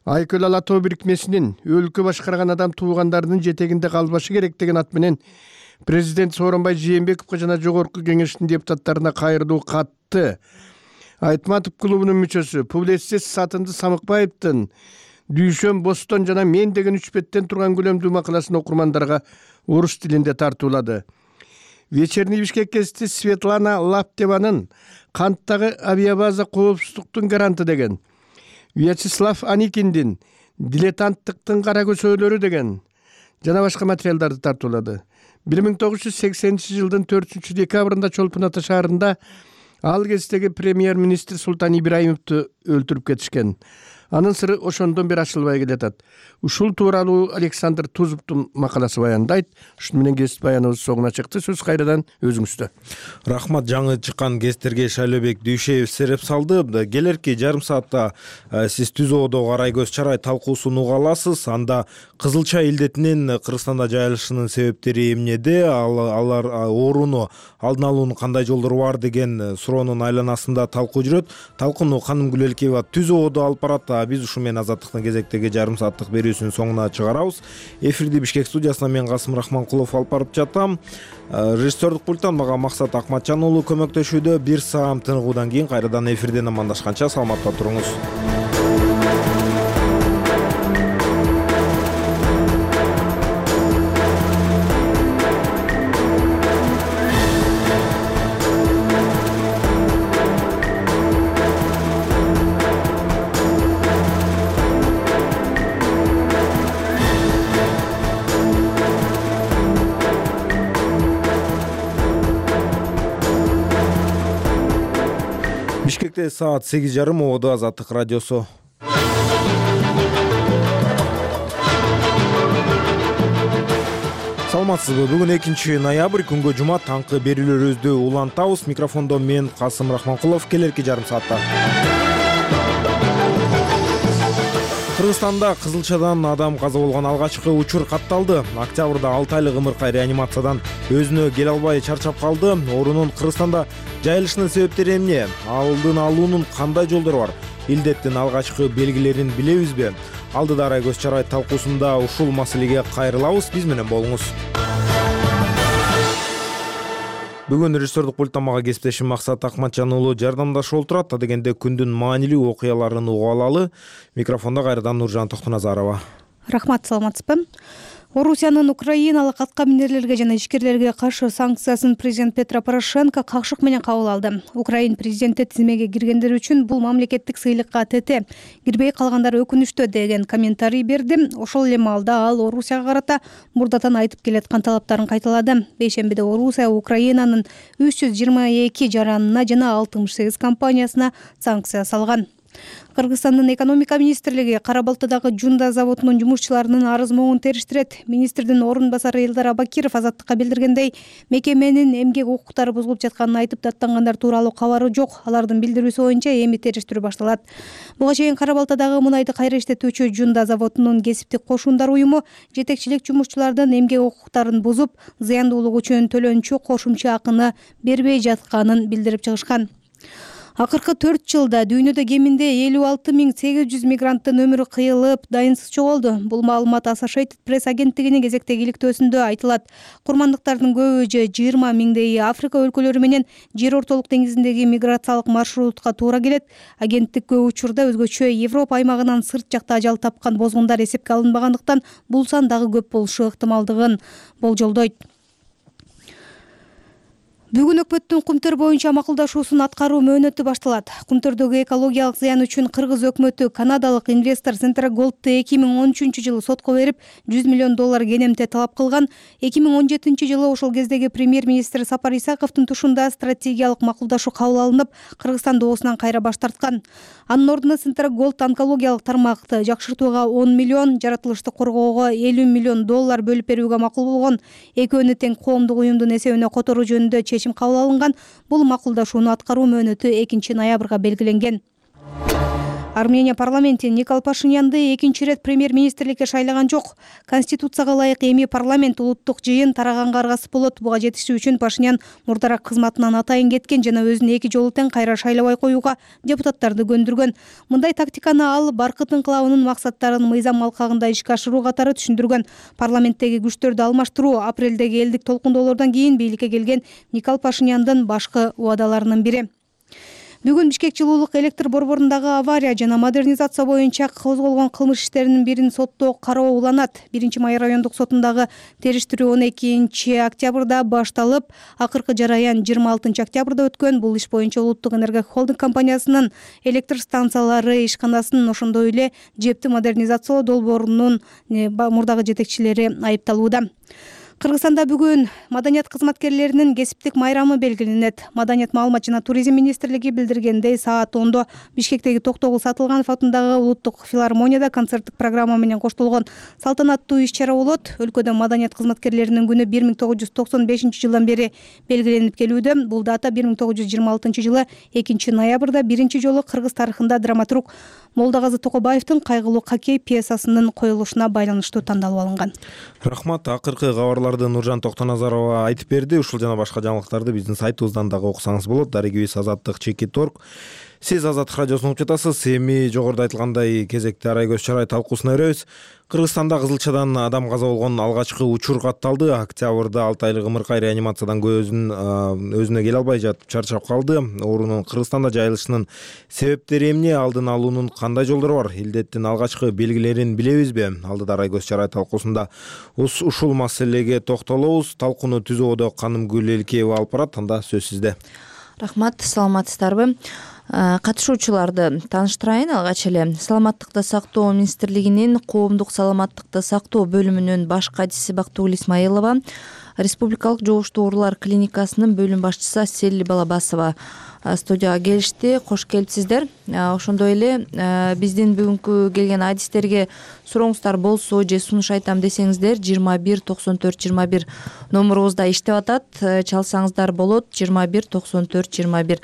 Айкөл Алатоо бирикмесинин өлкө башкарган адам туугандарынын жетегинде калбашы керек деген ат менен президент Сооронбай Жээнбековго жана жогорку кеңештин депутаттарына кайрылуу катты. Айтматов клубунун мүчөсү публицист Сатынды Самыкбаевдин Дүйшөм Бостон жана мен деген 3 беттен турган көлөмдүү макаласын окурмандарга орус тилинде тартуулады. Вечерний Бишкек гезити Светлана Лаптеванын канттагы авиабаза коопсуздуктун гаранты деген. Вячеслав Аникиндин дилетанттыктын кара көсөөлөрү деген жана башка материалдарды тартуулады. 1980-жылдын 4-декабрында Чолпон Ата шаарында ал кездеги премьер-министр Султан Ибраимовду өлтүрүп кетишкен. Анын сыры ошондон бери ачылбай келатат. Ушул тууралуу Александр Тузовдун макаласы баяндайт. Ушуну менен кесип баяныбыз соңуна чыкты. Сөз кайрадан өзүңүздө. Рахмат, жаңы чыккан кестерге Шайлообек Дүйшеев сереп салды. Келерки жарым саатта сиз ТүЗОдо карай көз чарай талкуусун уга аласыз. Анда кызылча илдетинин Кыргызстанда жайылышынын себептери эмнеде, алар ооруну алдын алуунун кандай жолдору бар деген суроонун айланасында талкуу жүрөт. Талкууну Ханым Гүлелкеева ТүЗОдо алып барат. Биз ушу менен Азаттыктын кезектеги жарым сааттык берүүсүнүн соңуна чыгарабыз. Эфирди Бишкек студиясынан мен Касым Рахманкулов алып барып жатам. Режиссердик пульттан мага Максат Акматжан уулу көмөктөшүүдө. Бир саам тыныгуудан кийин кайрадан эфирден амандашканча саламатта туруңуз. Бишкекте саат 8:30, Оодо Азаттык радиосу. Саламатсызбы? Бүгүн 2-ноябрь, күнгө жума, таңкы берүүлөрүбүздү улантабыз. Микрофондо мен Касым Рахманкулов. Келерки жарым саатта Кыргызстанда кызылчадан адам каза болгон алгачкы учур катталды. Октябрда 6 айлык ымыркай реанимациядан өзүнө келе албай чарчап калды. Оорунун Кыргызстанда жайылышынын себептери эмне? Алдын алуунун кандай жолдору бар? Илдеттин алгачкы белгилерин билебизби? Алдыда арай көз чарай талкуусунда ушул маселеге кайрылабыз. Биз менен болуңуз. Бүгүн режиссердик пульттан мага кесиптешим Максат Акматжан уулу жардамдашып отурат. Дегенде күндүн маанилүү окуяларын угуп алалы. Микрофондо кайрадан Нуржан Токтоназарова. Рахмат, саламатсызбы? Орусиянын украиналык атка минерлерге жана ишкерлерге каршы санкциясын президент Петро Порошенко какшык менен кабыл алды. Украин президенти тизмеге киргендер үчүн бул мамлекеттик сыйлыкка тете, кирбей калгандар өкүнүчтүү деген комментарий берди. Ошол эле маалда ал Орусияга карата мурдатан айтып келаткан талаптарын кайталады. Бейшембиде Орусия Украинанын 322 жаранына жана 68 компаниясына санкция салган. Кыргызстандын экономика министрлиги Кара Балтадагы Жунда заводунун жумушчуларынын арыз могун териштирет. Министрдин орун басары Элдар Абакиров Азаттыкка билдиргендей, мекеменин эмгек укуктары бузулуп жатканын айтып, даттангандар тууралуу кабары жок. Алардын билдирүүсү боюнча эми териштирүү башталат. Буга чейин Кара Балтадагы мунайды кайра иштетүүчү Жунда заводунун кесиптик кошундар уюму жетекчилик жумушчулардын эмгек укуктарын бузуп, зыяндуулук үчүн төлөнчү кошумча акыны бербей жатканын билдирип чыгышкан. Акыркы 4 жылда дүйнөдө кеминде 56.800 мигранттын өмүрү кыйылып, дайынсыз жоголду. Бул маалымат Associated Press агенттигинин кезектеги иликтөөсүндө айтылат. Курмандыктардын көбү 20 миңдейи Африка өлкөлөрү менен Жер ортолук деңизиндеги миграциялык маршрутка туура келет. Агенттик көп учурда өзгөчө Европа аймагынан сырт жакта ажал тапкан бозгундар эсепке алынбагандыктан бул сан дагы көп болушу ыктымалдыгын болжолдойт. Бүгүн өкмөттүн Кумтөр боюнча макулдашуусун аткаруу мөөнөтү башталат. Кумтөрдөгү экологиялык зыян үчүн Кыргыз өкмөтү канадалык инвестор Centragold'ду 2013 жылы сотко берип, $100 миллион кенемте талап кылган. 2017 жылы ошол кездеги премьер-министр Сапар Исаковдун тушунда стратегиялык макулдашуу кабыл алынып, Кыргызстан доосунан кайра баш тарткан. Анын ордуна Centragold онкологиялык тармакты жакшыртууга 10 миллион, жаратылышты коргоого $50 миллион бөлүп берүүгө макул болгон. Экөөнү тең коомдук уюмдун эсебине которуу жөнүндө чечим кабыл алынган. Бул макулдашууну аткаруу мөөнөтү 2-ноябрга белгиленген. Армения парламенти Никол Пашинянды экинчи ирет премьер-министрликке шайлаган жок. Конституцияга ылайык эми парламент улуттук жыйын тараганга аргасыз болот. Буга жетишүү үчүн Пашинян мурдарак кызматынан атайын кеткен жана өзүн 2 жолу тең кайра шайлабай коюуга депутаттарды көндүргөн. Мындай тактиканы ал баркыт инкылабынын максаттарын мыйзам алкагында ишке ашыруу катары түшүндүргөн. Парламенттеги күчтөрдү алмаштыруу апрелдеги элдик толкундоолордон кийин бийликке келген Никол Пашиняндын башкы убадаларынын бири. Бүгүн Бишкек жылуулук электр борборундагы авария жана модернизация боюнча козголгон кылмыш иштеринин бирин соттоо кароо уланат. 1-Майра райондук сотундагы териштирүү 12 октябрда башталып, акыркы жараян 26 октябрда өткөн. Бул иш боюнча Улуттук энергия холдинг компаниясынын электр станциялары ишканасынын ошондой эле жепти модернизациялоо долбоорунун мурдагы жетекчилери айыпталууда. Кыргызстанда бүгүн маданият кызматкерлеринин кесиптик майрамы белгиленет. Маданият, маалымат жана туризм министрлиги билдиргендей, саат 10 Бишкектеги Токтогул Сатылганов атындагы улуттук филармонияда концерттик программа менен коштолгон салтанаттуу иш-чара болот. Өлкөдө маданият кызматкерлеринин күнү 1995 жылдан бери белгиленип келүүдө. Бул дата 1926 жылы 2 ноябрда биринчи жолу кыргыз тарыхында драматург Молдогазы Токобаевдин кайгылуу хоккей пьесасынын коюлушуна байланыштуу тандалып алынган. Рахмат. Акыркы кабарларды Нуржан Токтоназарова айтып берди. Ушул жана башка жаңылыктарды биздин сайтыбыздан дагы окусаңыз болот. Дарегибиз Азаттык.org. Сиз Азаттык радиосун угуп жатасыз. Эми жогоруда айтылгандай кезекте арай көз чарай талкуусуна өрөбүз. Кыргызстанда кызылчадан адам каза болгон алгачкы учур катталды. Октябрда 6 айлык ымыркай реанимациядан өзүнө келе албай жатып чарчап калды. Оорунун Кыргызстанда жайылышынын себептери эмне, алдын алуунун кандай жолдору бар? Илдеттин алгачкы белгилерин билебизби? Алдыда арай көз чарай талкуусунда ушул маселеге токтолобуз. Талкууну түзүүдө Канымгүл Элкеева алып барат. Анда сөз сизде. Рахмат, саламатсыздарбы? Катышуучуларды тааныштырайын. Алгач эле Саламаттыкты сактоо министрлигинин коомдук саламаттыкты сактоо бөлүмүнүн баш катчысы Бактыгүл Исмаилова, Республикалык жугуштуу оорулар клиникасынын бөлүм башчысы Селли Балабасова студияга келишти. Кош келипсиздер. Ошондой эле биздин бүгүнкү келген адистерге сурооңуздар болсо же сунуш айтам десеңиздер 21 94 21 номерубузда иштеп атат. Чалсаңыздар болот. 21 94 21.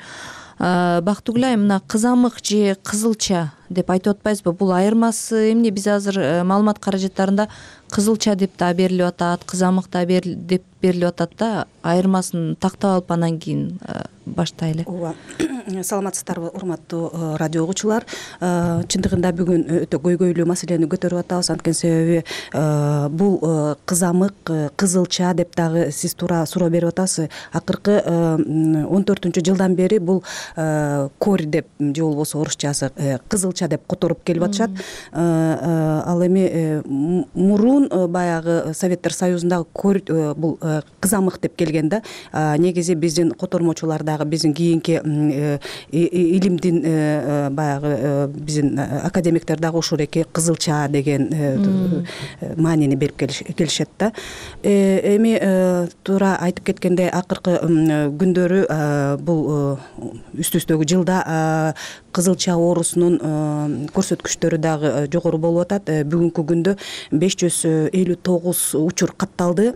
Бактыгүл айым, мына кызамык же кызылча деп айтып атпайбызбы? Бул айырмасы эмне? Биз азыр маалымат каражаттарында кызылча деп да берилип атат, кызамык да деп берилип атат да. Айырмасын тактап алып анан кийин баштайлы. Ооба. Саламатсыздарбы, урматтуу радио угуучулар. Чындыгында бүгүн өтө көйгөйлүү маселени көтөрүп атабыз. Анткени себеби бул кызамык, кызылча деп дагы сиз туура суроо берип атасыз. Акыркы 14-жылдан бери бул кори деп же болбосо орусчасы кызылча деп которуп келип атышат. Ал эми мурун баягы Советтер Союзундагы кори бул кызамык деп келген да. Негизи биздин котормочулар дагы биздин кийинки илимдин баягы биздин академиктер дагы ушул эки кызылча деген маанини берип келишет да. Эми туура айтып кеткендей, акыркы күндөрү бул үстүбүздөгү жылда кызылча оорусунун көрсөткүчтөрү дагы жогору болуп атат. Бүгүнкү күндө 559 учур катталды.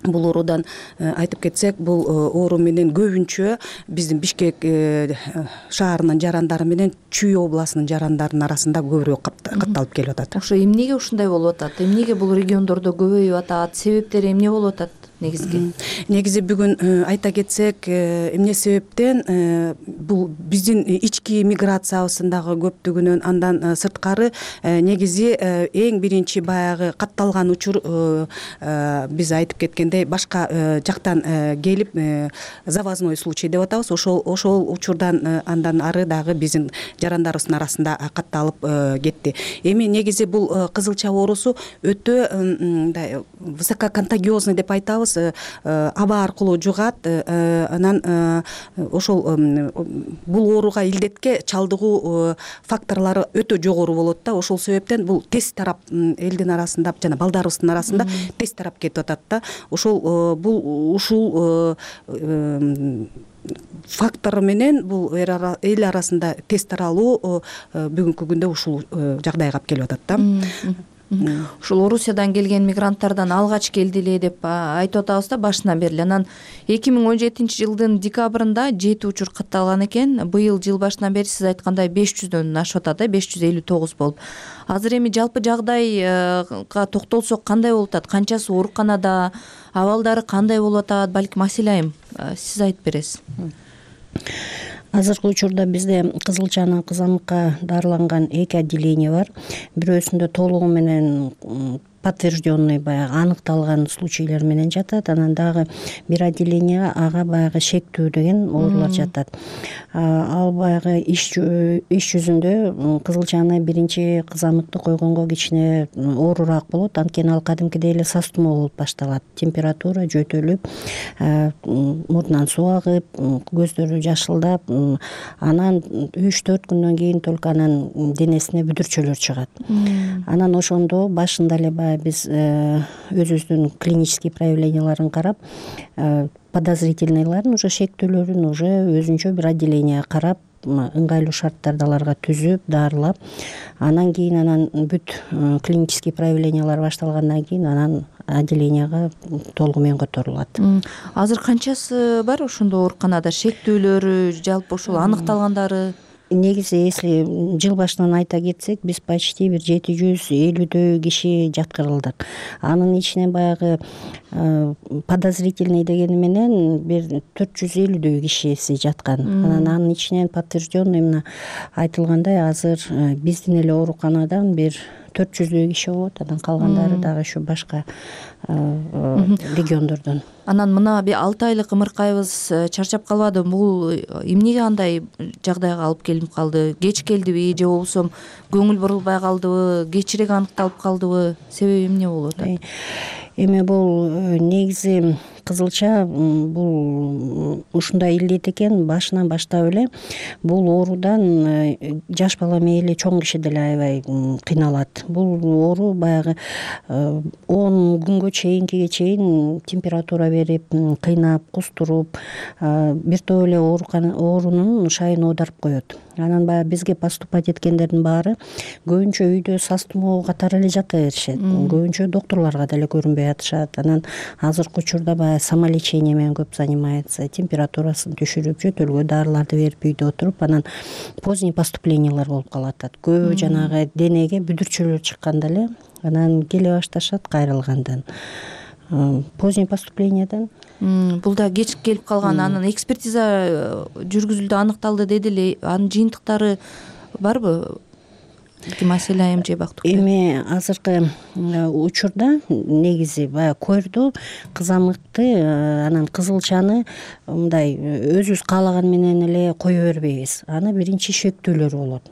Бул оорудан айтып кетсек, бул оору менен көбүнчө биздин Бишкек шаарынын жарандары менен Чүй областынын жарандарынын арасында көбүрөөк катталып келип атат. Ошо эмнеге ушундай болуп атат? Эмнеге бул региондордо көбөйүп атат? Себептери эмне болуп атат? Негизи бүгүн айта кетсек, эмне себептен бул биздин ички миграциябыздагы көптүгүнөн, андан сырткары негизи эң биринчи баягы катталган учур биз айтып кеткендей башка жактан келип завозной случай деп атабыз. Ошол учурдан андан ары дагы биздин жарандарыбыздын арасында катталып кетти. Эми негизи бул кызылча оорусу өтө мындай высококонтагиозный деп айтабыз. Аба аркылуу жугат. Анан ошол бул ооруга илдетке чалдыгуу факторлору өтө жогору болот да. Ошол себептен бул тез тарап элдин арасында жана балдарыбыздын арасында тез тарап кетип атат да. Ошол ушул фактор менен бул эл арасында тез таралуу бүгүнкү күндө ушул жагдайга алып келип атат да. Ушул Орусиядан келген мигранттардан алгач келди эле деп айтып атабыз да башынан бери. Анан 2017-жылдын декабрында 7 учур катталган экен. Быйыл жыл башынан бери сиз айткандай 500дөн ашып атат да, 559 болуп. Азыр эми жалпы жагдайга токтолсок кандай болуп атат? Канчасы ооруканада, абалдары кандай болуп атат? Балким Асил айым сиз айтып бересиз. Азыркы учурда бизде кызылчанын кызамыкка дарыланган 2 отделение бар. Бирөөсүндө толугу менен подтвержденный баягы аныкталган случайлар менен жатат. Анан дагы бир отделение ага баягы шектүү деген оорулар жатат. Ал баягы иш жүзүндө кызылчаны биринчи кызамыкты койгонго кичине оорураак болот. Анткени ал кадимкидей эле састумо болуп башталат. Температура жөтөлүп, мурдунан суу агып, көздөрү жашылдап, анан 3-4 күндөн кийин только анан денесине бүдүрчөлөр чыгат. Анан ошондо башында эле баягы баягы биз өзүбүздүн клинический проявленияларын карап, подозрительныйларын уже шектүүлөрүн уже өзүнчө бир отделение карап, ыңгайлуу шарттарды аларга түзүп, дарылап, анан кийин бүт клинический проявлениялар башталгандан кийин анан отделенияга толугу менен которулат. Азыр канчасы бар ошондо ооруканада шектүүлөрү, жалпы ошол аныкталгандары? Негизи, если жыл башынан айта кетсек, биз почти бир 750 киши жаткырылдык. Анын ичинен баягы подозрительный дегени менен бир 450 кишиси жаткан. Анын ичинен подтвержденный мына айтылгандай азыр биздин эле ооруканадан бир 400 киши болот, анан калгандары дагы ушу башка региондордон. Анан мына 6 айлык ымыркайыбыз чарчап калбадыбы? Бул эмнеге андай жагдайга алып келип калды? Кеч келдиби же болбосо көңүл бурулбай калдыбы, кечирээк аныкталып калдыбы? Себеби эмне болуп атат? Эми бул негизи кызылча бул ушундай илдет экен, башынан баштап эле бул оорудан жаш бала мейли чоң киши деле аябай кыйналат. Бул оору баягы 10 күнгө чейин температура берип, кыйнап, кустуруп, бир топ эле оорунун шайын оодарып коет. Анан баягы бизге поступать эткендердин баары көбүнчө үйдө сас тумоо катары эле жата беришет. Көбүнчө доктурларга деле көрүнбөй атышат. Анан азыркы учурда баягы самолечение менен көп занимается, температурасын түшүрүп, жөтөлгө дарыларды берип үйдө отуруп, анан поздний поступлениялар болуп калат. Көбү жанагы денеге бүдүрчөлөр чыкканда эле анан келе башташат кайрылгандан. Поздний поступленияден. Бул да кеч келип калган. Анан экспертиза жүргүзүлдү, аныкталды деди эле. Анын жыйынтыктары барбы? Маселе айым же бактык. Эми азыркы учурда негизи баягы койрду, кызамыкты, анан кызылчаны мындай өзүбүз каалаган менен эле кое бербейбиз. Аны биринчи шектүүлөрү болот.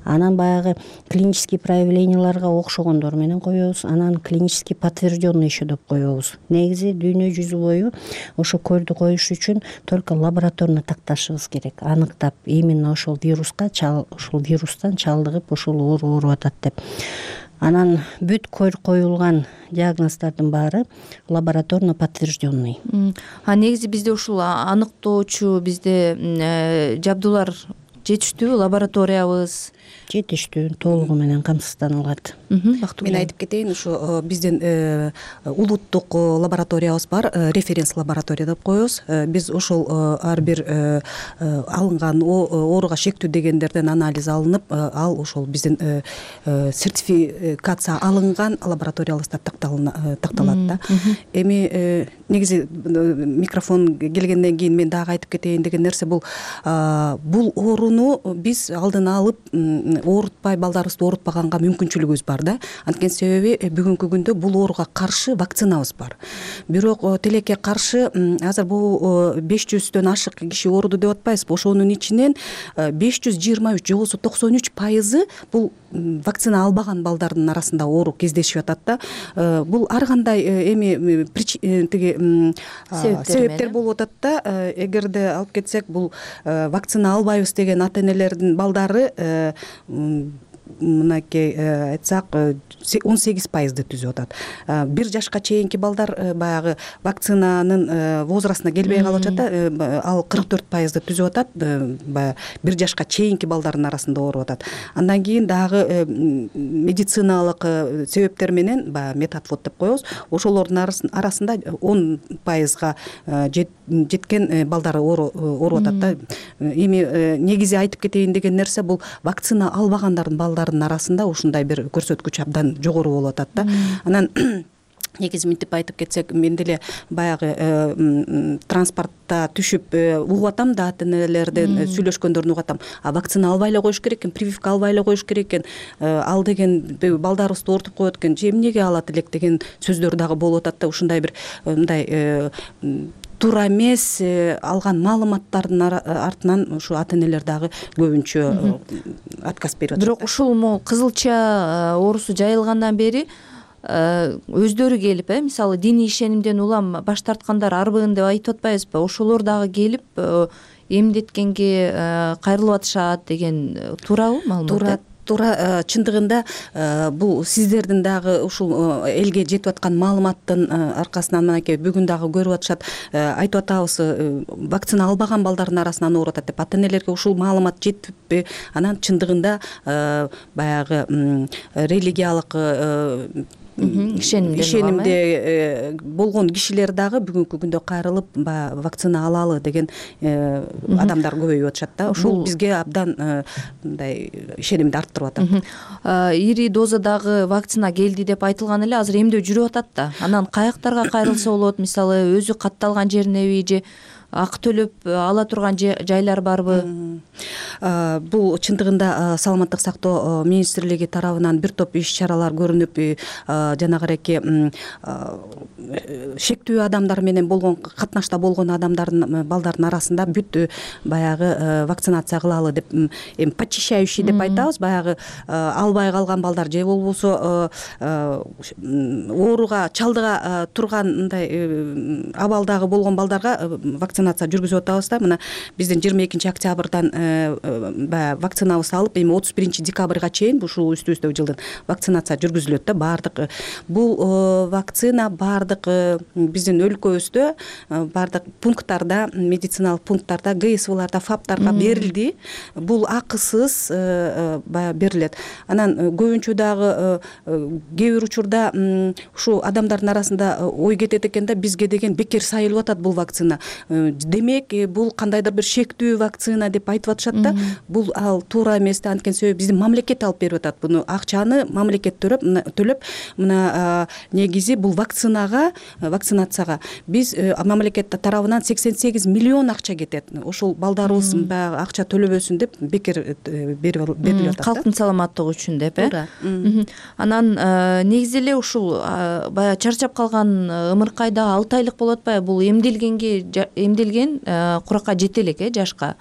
Анан баягы клинический проявленияларга окшогондор менен коебуз, анан клинический подтвержденный еще деп коебуз. Негизи дүйнө жүзү бою ошо көрдү коюш үчүн только лабораторно такташыбыз керек, аныктап именно ошол вирустан чалдыгып ошол оору ооруп атат деп. Анан бүт коюлган диагноздордун баары лабораторно подтвержденный. Негизи бизде ушул аныктоочу бизде жабдуулар жетиштүүбү? Лабораториябыз жетиштүү, толугу менен камсызданылат. Мен айтып кетейин, ушу биздин улуттук лабораториябыз бар, референс лаборатория деп коебуз. Биз ошол ар бир алынган ооруга шектүү дегендерден анализ алынып, ал ошол биздин сертификация алынган лабораториябызда такталат да. Эми негизи микрофон келгенден кийин мен дагы айтып кетейин деген нерсе бул ооруну биз алдын алып оорутпай, балдарыбызды оорутпаганга мүмкүнчүлүгүбүз бар да. Анткени себеби бүгүнкү күндө бул ооруга каршы вакцинабыз бар. Бирок тилекке каршы азыр бул 500дөн ашык киши ооруду деп атпайбызбы? Ошонун ичинен 523 же болбосо 93% бул вакцина албаган балдардын арасында оору кездешип атат да. Бул ар кандай эми себептер болуп атат да. Эгерде алып кетсек, бул вакцина албайбыз деген ата энелердин балдары мынакей айтсак 18%ды түзүп атат. 1 жашка чейинки балдар баягы вакцинанын возрастына келбей калып атат да, ал 44%ды түзүп атат. Баягы 1 жашка чейинки балдардын арасында ооруп атат. Андан кийин дагы медициналык себептер менен баягы метатфот деп коебуз. Ошолордун арасында 10%га жеткен балдар ооруп атат да. Эми негизи айтып кетейин деген нерсе бул вакцина албагандардын балдардын арасында ушундай бир көрсөткүч абдан жогору болуп атат да. Анан негизи мынтип айтып кетсек, мен деле баягы транспортто түшүп угуп атам да, ата энелерден сүйлөшкөндөрүн угуп атам. Вакцина албай эле коюш керек экен, прививка албай эле коюш керек экен, ал деген балдарыбызды оорутуп коет экен, же эмнеге алат элек деген сөздөр дагы болуп атат да. Ушундай бир мындай туура эмес алган маалыматтардын артынан ушу ата энелер дагы көбүнчө отказ берип атат. Бирок ушул могу кызылча оорусу жайылгандан бери өздөрү келип, мисалы диний ишенимден улам баш тарткандар арбыгын деп айтып атпайбызбы? Ошолор дагы келип эмдеткенге кайрылып атышат деген туурабы маалымат? туура чындыгында бул сиздердин дагы ушул элге жетип аткан маалыматтын аркасынан мынакей бүгүн дагы көрүп атышат, айтып атабыз, вакцина албаган балдардын арасынан ооруп атат деп. Ата энелерге ушул маалымат жетиппи? Анан чындыгында баягы религиялык ишенимде болгон кишилер дагы бүгүнкү күндө кайрылып баягы вакцина алалы деген адамдар көбөйүп атышат да. Ушул бизге абдан мындай ишенимди арттырып атат. Ири дозадагы вакцина келди деп айтылган эле, азыр эмдөө жүрүп атат да. Анан каяктарга кайрылса болот? Мисалы өзү катталган жеринеби же акы төлөп ала турган жайлар барбы? Бул чындыгында саламаттык сактоо министрлиги тарабынан бир топ иш чаралар көрүнүп, жанагыреки шектүү адамдар менен болгон катнашта болгон адамдардын балдардын арасында бүт баягы вакцинация кылалы деп, эми почищающий деп айтабыз, баягы албай калган балдар же болбосо ооруга чалдыга турган мындай абалдагы болгон балдарга вакцинация жүргүзүп атабыз да. Мына биздин 22 октябрдан баягы вакцинабызды алып, эми 31 декабрга чейин ушул үстүбүздөгү жылдын вакцинация жүргүзүлөт да. Баардык бул вакцина баардык биздин өлкөбүздө баардык пункттарда, медициналык пункттарда, ГСВларда, ФАПтарга берилди. Бул акысыз баягы берилет. Анан көбүнчө дагы кээ бир учурда ушу адамдардын арасында ой кетет экен да, бизге деген бекер сайылып атат бул вакцина. Демек, бул кандайдыр бир шектүү вакцина деп айтып атышат да. Бул ал туура эмес да. Анткени себеби биздин мамлекет алып берип атат буну. Акчаны мамлекет төлөп, мына негизи бул вакцинацияга биз мамлекет тарабынан 88 миллион акча кетет. Ошол балдарыбыз баягы акча төлөбөсүн деп бекер берилип атат. Калктын саламаттыгы үчүн деп, Анан негизи эле ушул баягы чарчап калган ымыркайда 6 айлык болуп атпайбы? Бул эмделген куракка жете элек жашка.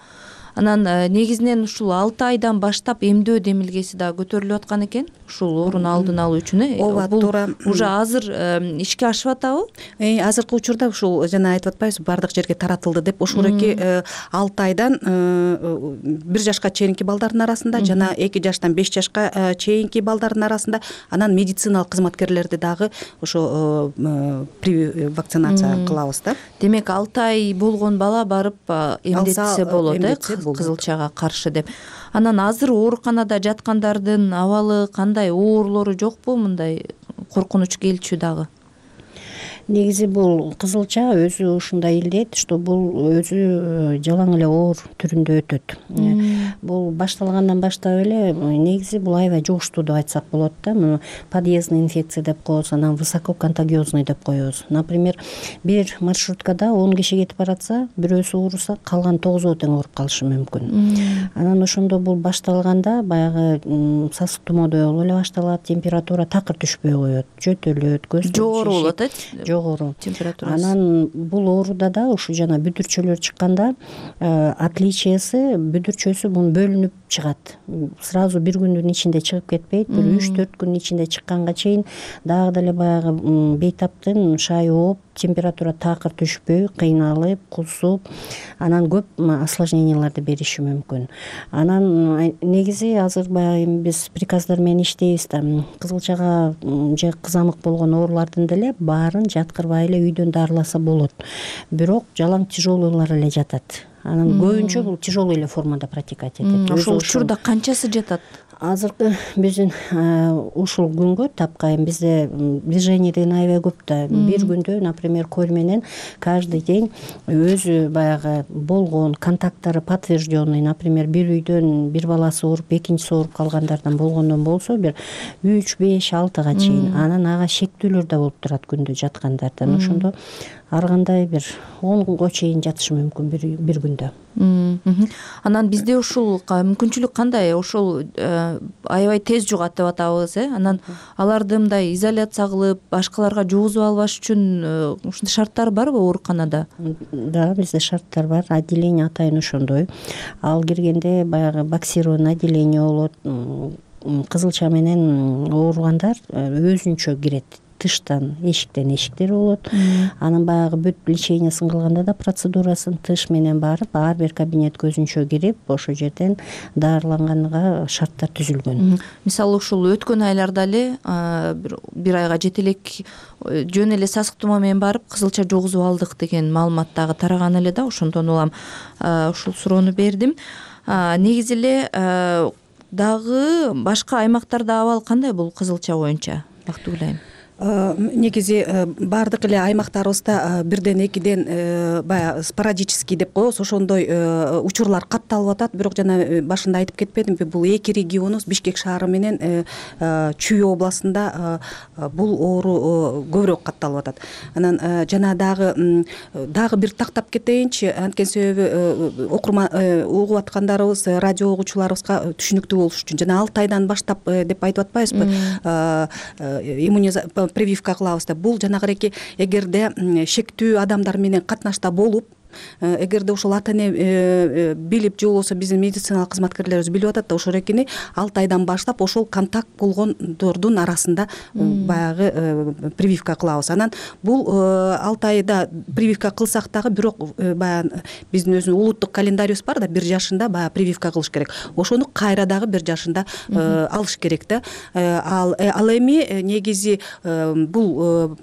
Анан негизинен ушул 6 айдан баштап эмдөө демилгеси да көтөрүлүп аткан экен. Ушул оорууну алдын алуу үчүн. Ооба, туура. Уже азыр ишке ашып атабы? Азыркы учурда ушул жана айтып атпайбызбы, бардык жерге таратылды деп. Ушуреки 6 айдан 1 жашка чейинки балдардын арасында жана 2 жаштан 5 жашка чейинки балдардын арасында, анан медициналык кызматкерлерди дагы ошо вакцинация кылабыз да. Демек 6 ай болгон бала барып эмдетсе болот, кызылчага каршы деп. Анан азыр ооруканада жаткандардын абалы кандай, оорулору жокпу, мындай коркунуч келчү дагы? Негизи бул кызылча өзү ушундай илдет, что бул өзү жалаң эле оор түрүндө өтөт. Бул башталгандан баштап эле негизи бул аябай жугуштуу деп айтсак болот да. Муну подъездный инфекция деп коебуз, анан высококонтагиозный деп коебуз. Например, бир маршруткада 10 киши кетип баратса, бирөөсү ооруса, калган 9 тең ооруп калышы мүмкүн. Анан ошондо бул башталганда баягы сасык тумоодой болуп эле башталат, температура такыр түшпөй коет, жөтөлөт, көз жогору болот, жогору температурасы. Анан бул ооруда да ушу жана бүдүрчөлөр чыкканда отличиясы, бүдүрчөсү бул бөлүнүп чыгат. Сразу бир күндүн ичинде чыгып кетпейт, бир 3-4 күн ичинде чыкканга чейин дагы деле баягы бейтаптын шайы ооп, температура такыр түшпөй, кыйналып, кусуп, анан көп осложненияларды бериши мүмкүн. Анан негизи азыр баягы биз приказдар менен иштейбиз да. Кызылчага же кызамык болгон оорулардын деле баарын жаткырбай эле үйдөн дарыласа болот. Бирок жалаң тяжелойлор эле жатат. Анан көбүнчө бул тяжелый эле формада протекать этет. Ошол учурда канчасы жатат? Азыркы биздин ушул күнгө тапкайын бизде движение деген аябай көп да. Бир күндө, например, коль менен каждый день өзү баягы болгон контакттары подтвержденный, например, бир үйдөн бир баласы ооруп, экинчиси ооруп калгандардан болгондон болсо бир 3, 5, 6га чейин. Анан ага шектүүлөр да болуп турат күндө жаткандардан. Ошондо ар кандай бир 10га чейин жатышы мүмкүн бир күндө. Анан бизде ушул мүмкүнчүлүк кандай? Ошол аябай тез жугат деп атабыз, Анан аларды мындай изоляция кылып, башкаларга жугузуп албаш үчүн ушундай шарттар барбы ооруканада? Да, бизде шарттар бар. Отделение атайын ошондой. Ал киргенде баягы боксированный отделение болот. Кызылча менен ооругандар өзүнчө кирет. тыштан эшиктер болот. Анан баягы бүт лечениясын кылганда да процедурасын тыш менен барып, ар бир кабинетке өзүнчө кирип, ошол жерден дарыланганга шарттар түзүлгөн. Мисалы ушул өткөн айларда эле бир айга жете элек жөн эле сасык тумоо менен барып кызылча жугузуп алдык деген маалымат дагы тараган эле да, ошондон улам ушул суроону бердим. Негизи эле дагы башка аймактарда абал кандай бул кызылча боюнча, Бактыгүл айым? Негизи баардык эле аймактарыбызда бирден экиден баягы спорадический деп коебуз, ошондой учурлар катталып атат. Бирок жана башында айтып кетпедимби, бул эки регионубуз Бишкек шаары менен Чүй областында бул оору көбүрөөк катталып атат. Анан жана дагы бир тактап кетейинчи, анткени себеби окурман угуп аткандарыбыз, радио угуучуларыбызга түшүнүктүү болуш үчүн жана 6 айдан баштап деп айтып атпайбызбы, прививка кылабыз деп. Бул жанагы эгерде шектүү адамдар менен катнашта болуп, эгерде ошол ата эне билип же болбосо биздин медициналык кызматкерлерибиз билип атат да, ошол эркини 6 айдан баштап ошол контакт болгондордун арасында баягы прививка кылабыз. Анан бул 6 айда прививка кылсак дагы, бирок баягы биздин өзүнүн улуттук календарибиз бар да, 1 жашында баягы прививка кылыш керек. Ошону кайра дагы 1 жашында алыш керек да. Ал эми негизи бул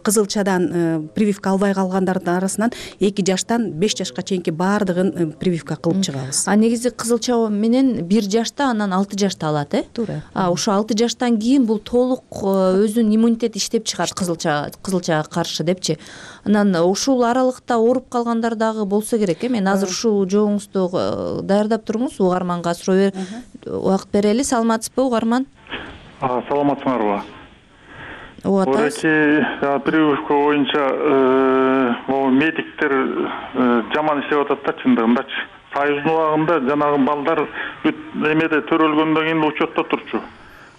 кызылчадан прививка албай калгандардын арасынан 2 жаштан 5 жашка чейинки баардыгын прививка кылып чыгабыз. Негизи кызылча менен 1 жашта, анан 6 жашта алат, Туура. Ошо 6 жаштан кийин бул толук өзүнүн иммунитет иштеп чыгат кызылчага каршы депчи. Анан ушул аралыкта ооруп калгандар дагы болсо керек. Мен азыр ушул жообуңузду даярдап туруңуз, угарманга суроо убакыт берели. Саламатсызбы, угарман? Саламатсыңарбы? Атабыз. Прививка боюнча медиктер жаман иштеп атат да, чындыгындачы. Союздун убагында жанагы балдар бүт эмеде төрөлгөндөн кийин учетто турчу.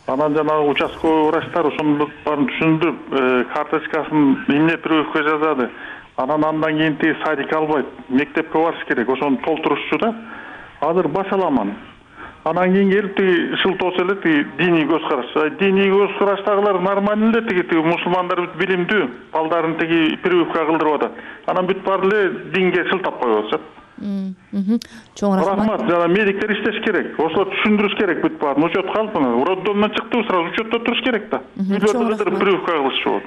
Анан жанагы участковый врачтар ошону баарын түшүндүрүп, карточкасын эмне прививка жазады. Андан кийин тиги садикке албайт, мектепке барыш керек, ошону толтурушчу да. Азыр башаламан. Анан кийин келип тиги шылтоосо эле тиги диний көз караш. Диний көз караштагылар нормально эле, тиги мусулмандар бүт билимдүү, балдарын тиги прививка кылдырып атат. Анан бүт баары эле динге шылтап коюп атышат. Чоң рахмат. Жана медиктер иштеш керек. Ошо түшүндүрүш керек бүт баарын. Учетко алып, роддомдон чыктыбы, сразу учетто туруш керек да. Үйлөрдө прививка кылыш болот.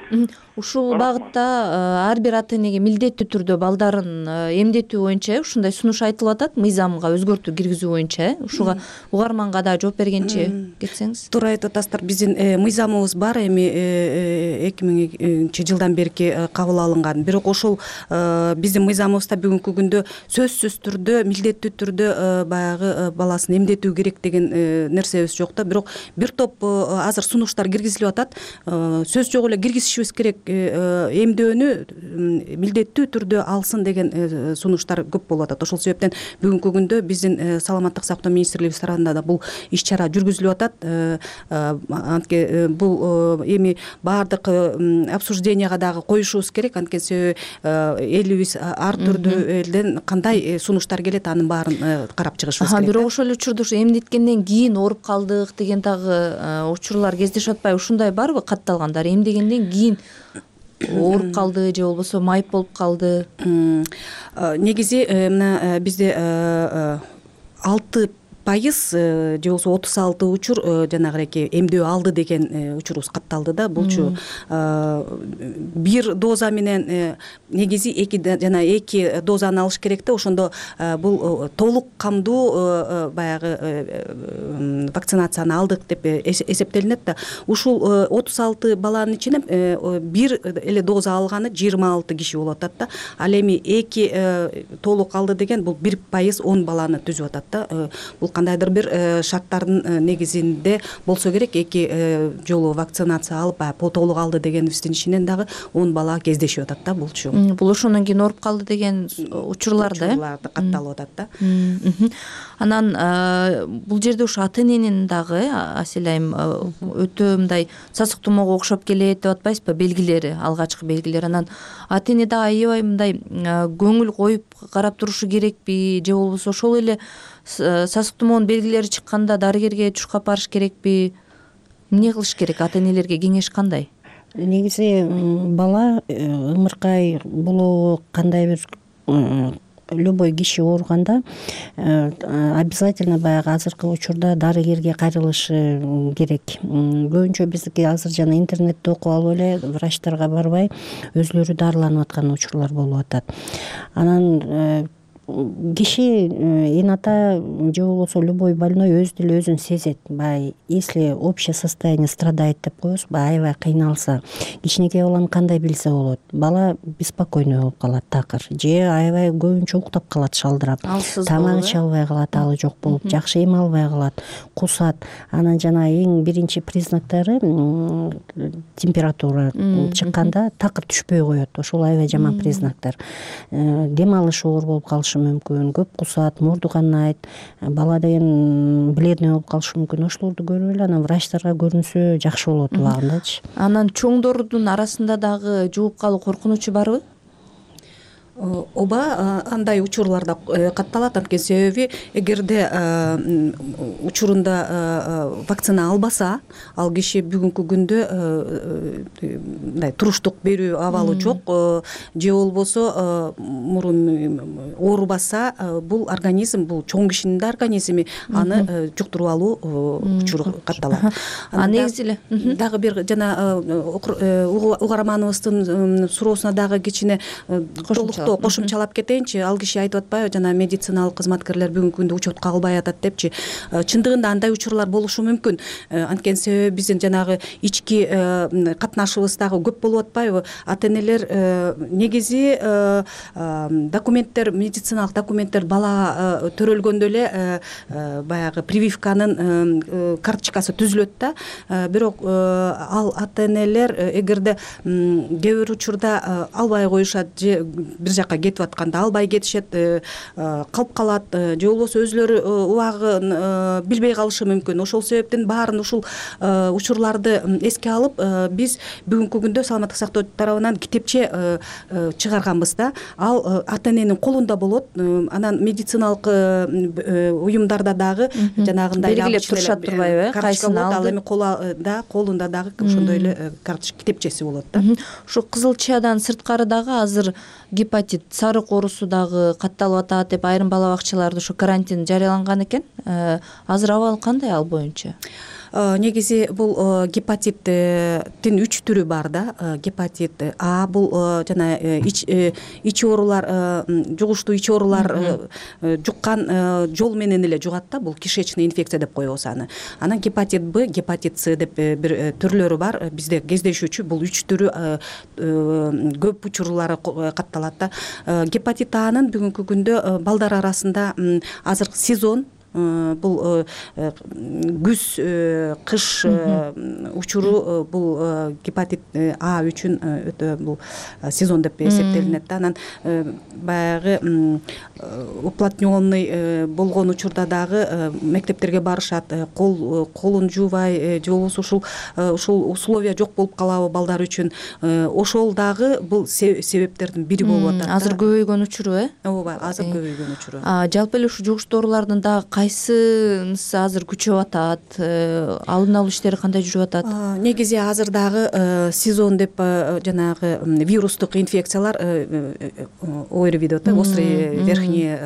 Ушул багытта ар бир ата энеге милдеттүү түрдө балдарын эмдетүү боюнча ушундай сунуш айтылып атат, мыйзамга өзгөртүү киргизүү боюнча. Ушуга угарманга да жооп бергенчи кетсеңиз. Туура айтып атасыздар. Биздин мыйзамыбыз бар, эми 2000-жылдан берки кабыл алынган. Бирок ошол биздин мыйзамыбызда бүгүнкү күндө сөзсүз түрдө, милдеттүү түрдө баягы баласын эмдетүү керек деген нерсебиз жок да. Бирок бир топ азыр сунуштар киргизилип атат. Сөз жок эле киргизишибиз керек, эмдөөнү милдеттүү түрдө алсын деген сунуштар көп болуп атат. Ошол себептен бүгүнкү күндө биздин саламаттык сактоо министрлигибиз тарабынан да бул иш-чара жүргүзүлүп атат. Антке бул эми баардык обсужденияга дагы коюшубуз керек. Анткени себеби элибиз ар түрдүү элден кандай сунуштар келет, анын баарын карап чыгышыбыз керек. Бирок ошол учурда эмдеткенден кийин ооруп калдык деген дагы учурлар кездешип атпайбы? Ушундай барбы катталгандар? Эмдегенден кийин ооруп калды же болбосо майып болуп калды? Негизи мына бизде 6% же болбосо 36 учур жанагы эмдөө алды деген учурубуз катталды да. Булчу бир доза менен негизи 2 дозаны алыш керек да. Ошондо бул толук камдуу баягы вакцинацияны алдык деп эсептелинет да. Ушул 36 баланын ичинен бир эле доза алганы 26 киши болуп атат да. Ал эми 2 толук алды деген бул 1% 10 баланы түзүп атат да. Бул кандайдыр бир шарттардын негизинде болсо керек. 2 жолу вакцинация алып толук алды дегенибиздин ичинен дагы 10 бала кездешип атат да. Булчу бул ошондон кийин ооруп калды деген учурларды катталып атат да. Анан бул жерде ушу ата эненин дагы Асель айым өтө мындай сасык тумоого окшоп келет деп атпайсызбы, белгилери, алгачкы белгилери. Анан ата эне да аябай мындай көңүл коюп карап турушу керекпи, же болбосо ошол эле сасык тумоонун белгилери чыкканда дарыгерге чуркап барыш керекпи? эмне кылыш керек, ата энелерге кеңеш кандай? Негизи бала ымыркай болобу, кандай бир любой киши ооруганда обязательно баягы азыркы учурда дарыгерге кайрылышы керек. Көбүнчө биздики азыр жана интернетте окуп алып эле врачтарга барбай өзүлөрү дарыланып аткан учурлар болуп атат. Анан киши эн ата же болбосо любой больной өзү деле өзүн сезет. Баягы если общее состояние страдает деп коебуз, аябай кыйналса, кичинекей баланы кандай билсе болот. Бала беспокойный болуп калат, такыр, же аябай көбүнчө уктап калат шалдырап, тамак иче албай калат, алы жок болуп, жакшы эм албай калат, кусат. Анан жана эң биринчи признактары температура чыкканда такыр түшпөй коет. Ошол аябай жаман признактар. Дем алышы оор болуп калышы мүмкүн, көп кусат, мурду канайт, бала деген бледный болуп калышы мүмкүн. Ошолорду көрүп эле анан врачтарга көрүнсө жакшы болот убагындачы. Анан чоңдордун арасында дагы жугуп калуу коркунучу барбы? Ооба, андай учурларда катталат. Анткени себеби эгерде учурунда вакцина албаса, ал киши бүгүнкү күндө мындай туруштук берүү абалы жок, же болбосо мурун оорубаса, бул организм, бул чоң кишинин да организми аны жуктуруп алуу учуру катталат. Негизи эле дагы бир жана угарманыбыздын суроосуна дагы кичине кошумчалап кетейинчи. Ал киши айтып атпайбы, жана медициналык кызматкерлер бүгүнкү күндө учетко албай атат депчи. Чындыгында андай учурлар болушу мүмкүн. Анткени себеби биздин жанагы ички катнашыбыз дагы көп болуп атпайбы? Ата энелер негизи документтер, медициналык документтер бала төрөлгөндө эле баягы прививканын карточкасы түзүлөт да. Бирок ал ата энелер эгерде кээ бир учурда албай коюшат, же бир жака кетип атканда албай кетишет, калып калат, же болбосо өзүлөрү убагын билбей калышы мүмкүн. Ошол себептен баарын ушул учурларды эске алып, биз бүгүнкү күндө саламаттык сактоо тарабынан китепче чыгарганбыз да. Ал ата эненин колунда болот. Анан медициналык уюмдарда дагы жанагындай белгилеп турушат турбайбы? Кайсын ал эми колунда дагы ошондой эле карточка китепчеси болот да. Ушу кызылчадан сырткары дагы азыр гепатит, сарык оорусу дагы катталып атат деп айрым бала бакчаларда ушу карантин жарыяланган экен. Азыр абал кандай ал боюнча? Негизи бул гепатиттин 3 түрү бар да. Гепатит А бул жана ич оорулар, жугуштуу ич оорулар жуккан жол менен эле жугат да. Бул кишечный инфекция деп коебуз аны. Анан гепатит Б, гепатит С деп бир түрлөрү бар. Бизде кездешүүчү бул 3 түрү көп учурлары катталат да. Гепатит Анын бүгүнкү күндө балдар арасында азыр сезон, бул күз, кыш учуру бул гепатит А үчүн өтө бул сезон деп эсептелинет да. Анан баягы уплотненный болгон учурда дагы мектептерге барышат, колун жуубай, же болбосо ушул условия жок болуп калабы балдар үчүн. Ошол дагы бул себептердин бири болуп атат. Азыр көбөйгөн учуру, Ооба, азыр көбөйгөн учуру. Жалпы эле ушу жугуштуу оорулардын дагы кайсынысы азыр күчөп атат? Алдын алуу иштери кандай жүрүп атат? Негизи азыр дагы сезон деп жанагы вирустук инфекциялар ОРВИ деп атат, острый верхний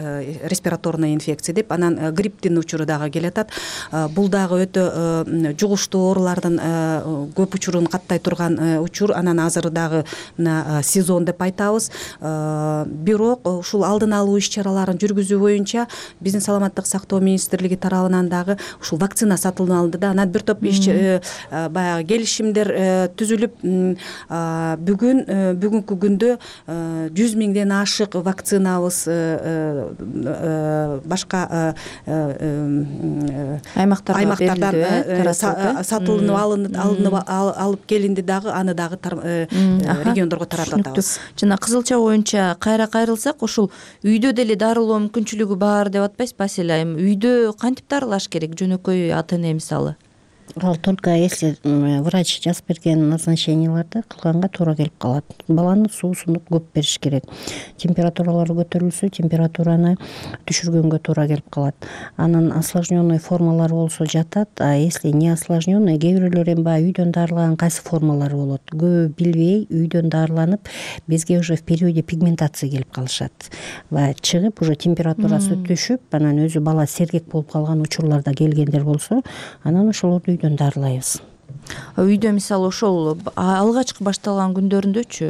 респираторная инфекция деп, анан грипптин учуру дагы келатат. Бул дагы өтө жугуштуу оорулардын көп учурун каттай турган учур. Анан азыр дагы сезон деп айтабыз. Бирок ушул алдын алуу иш-чараларын жүргүзүү боюнча биздин саламаттык сактоо министрлиги тарабынан дагы ушул вакцина сатылып алынды да. Анан бир топ баягы келишимдер түзүлүп, бүгүнкү күндө 100 миңден ашык вакцинабыз башка аймактардан сатылынып алып келинди дагы, аны дагы региондорго таратып атабыз. Жана кызылча боюнча кайра кайрылсак, ушул үйдө деле дарылоо мүмкүнчүлүгү бар деп атпайсызбы Асель айым? Үйдө кантип дарылаш керек жөнөкөй ата эне мисалы? ал только если врач жазып берген назначенияларды кылганга туура келип калат. Баланы суусундук көп бериш керек. Температуралары көтөрүлсө, температураны түшүргөнгө туура келип калат. Анан осложненный формалары болсо жатат, а если не осложненный, кээ бирөөлөр эми баягы үйдөн дарылаган кайсы формалары болот. Көбү билбей үйдөн дарыланып, бизге уже в периоде пигментация келип калышат. Баягы чыгып, уже температурасы түшүп, анан өзү бала сергек болуп калган учурларда келгендер болсо, анан ошолорду үйдөн дарылайбыз. Үйдө мисалы ошол алгачкы башталган күндөрүндөчү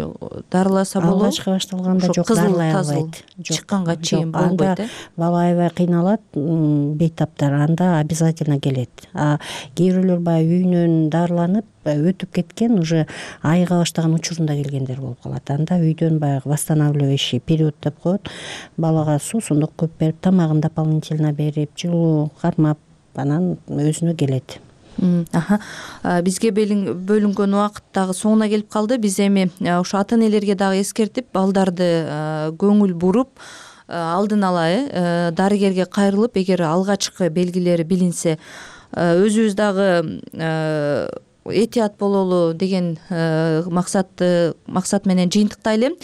дарыласа болобу? Алгачкы башталганда жок, дарылай албайт. Чыкканга чейин болбойт, бала аябай кыйналат, бейтаптар, анда обязательно келет. А кээ бирөөлөр баягы үйүнөн дарыланып өтүп кеткен, уже айыга баштаган учурунда келгендер болуп калат. Анда үйдөн баягы восстанавливающий период деп коет. Балага суусундук көп берип, тамагын дополнительно берип, жылуу кармап, анан өзүнө келет. Бизге бөлүнгөн убакыт дагы соңуна келип калды. Биз эми ошо ата энелерге дагы эскертип, балдарды көңүл буруп, алдын ала дарыгерге кайрылып, эгер алгачкы белгилери билинсе, өзүбүз дагы этият бололу деген максат менен жыйынтыктайлы.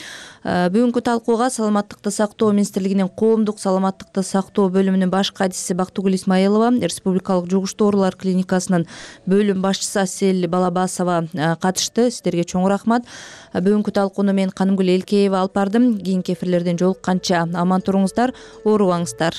Бүгүнкү талкууга Саламаттыкты сактоо министрлигинин коомдук саламаттыкты сактоо бөлүмүнүн баш кадиси Бактыгүл Исмаилова, Республикалык жугуштуу оорулар клиникасынын бөлүм башчысы Асель Балабасова катышты. Сиздерге чоң рахмат. Бүгүнкү талкууну мен Канымгүл Элкеева алып бардым. Кийинки эфирлерден жолукканча аман туруңуздар, оорубаңыздар.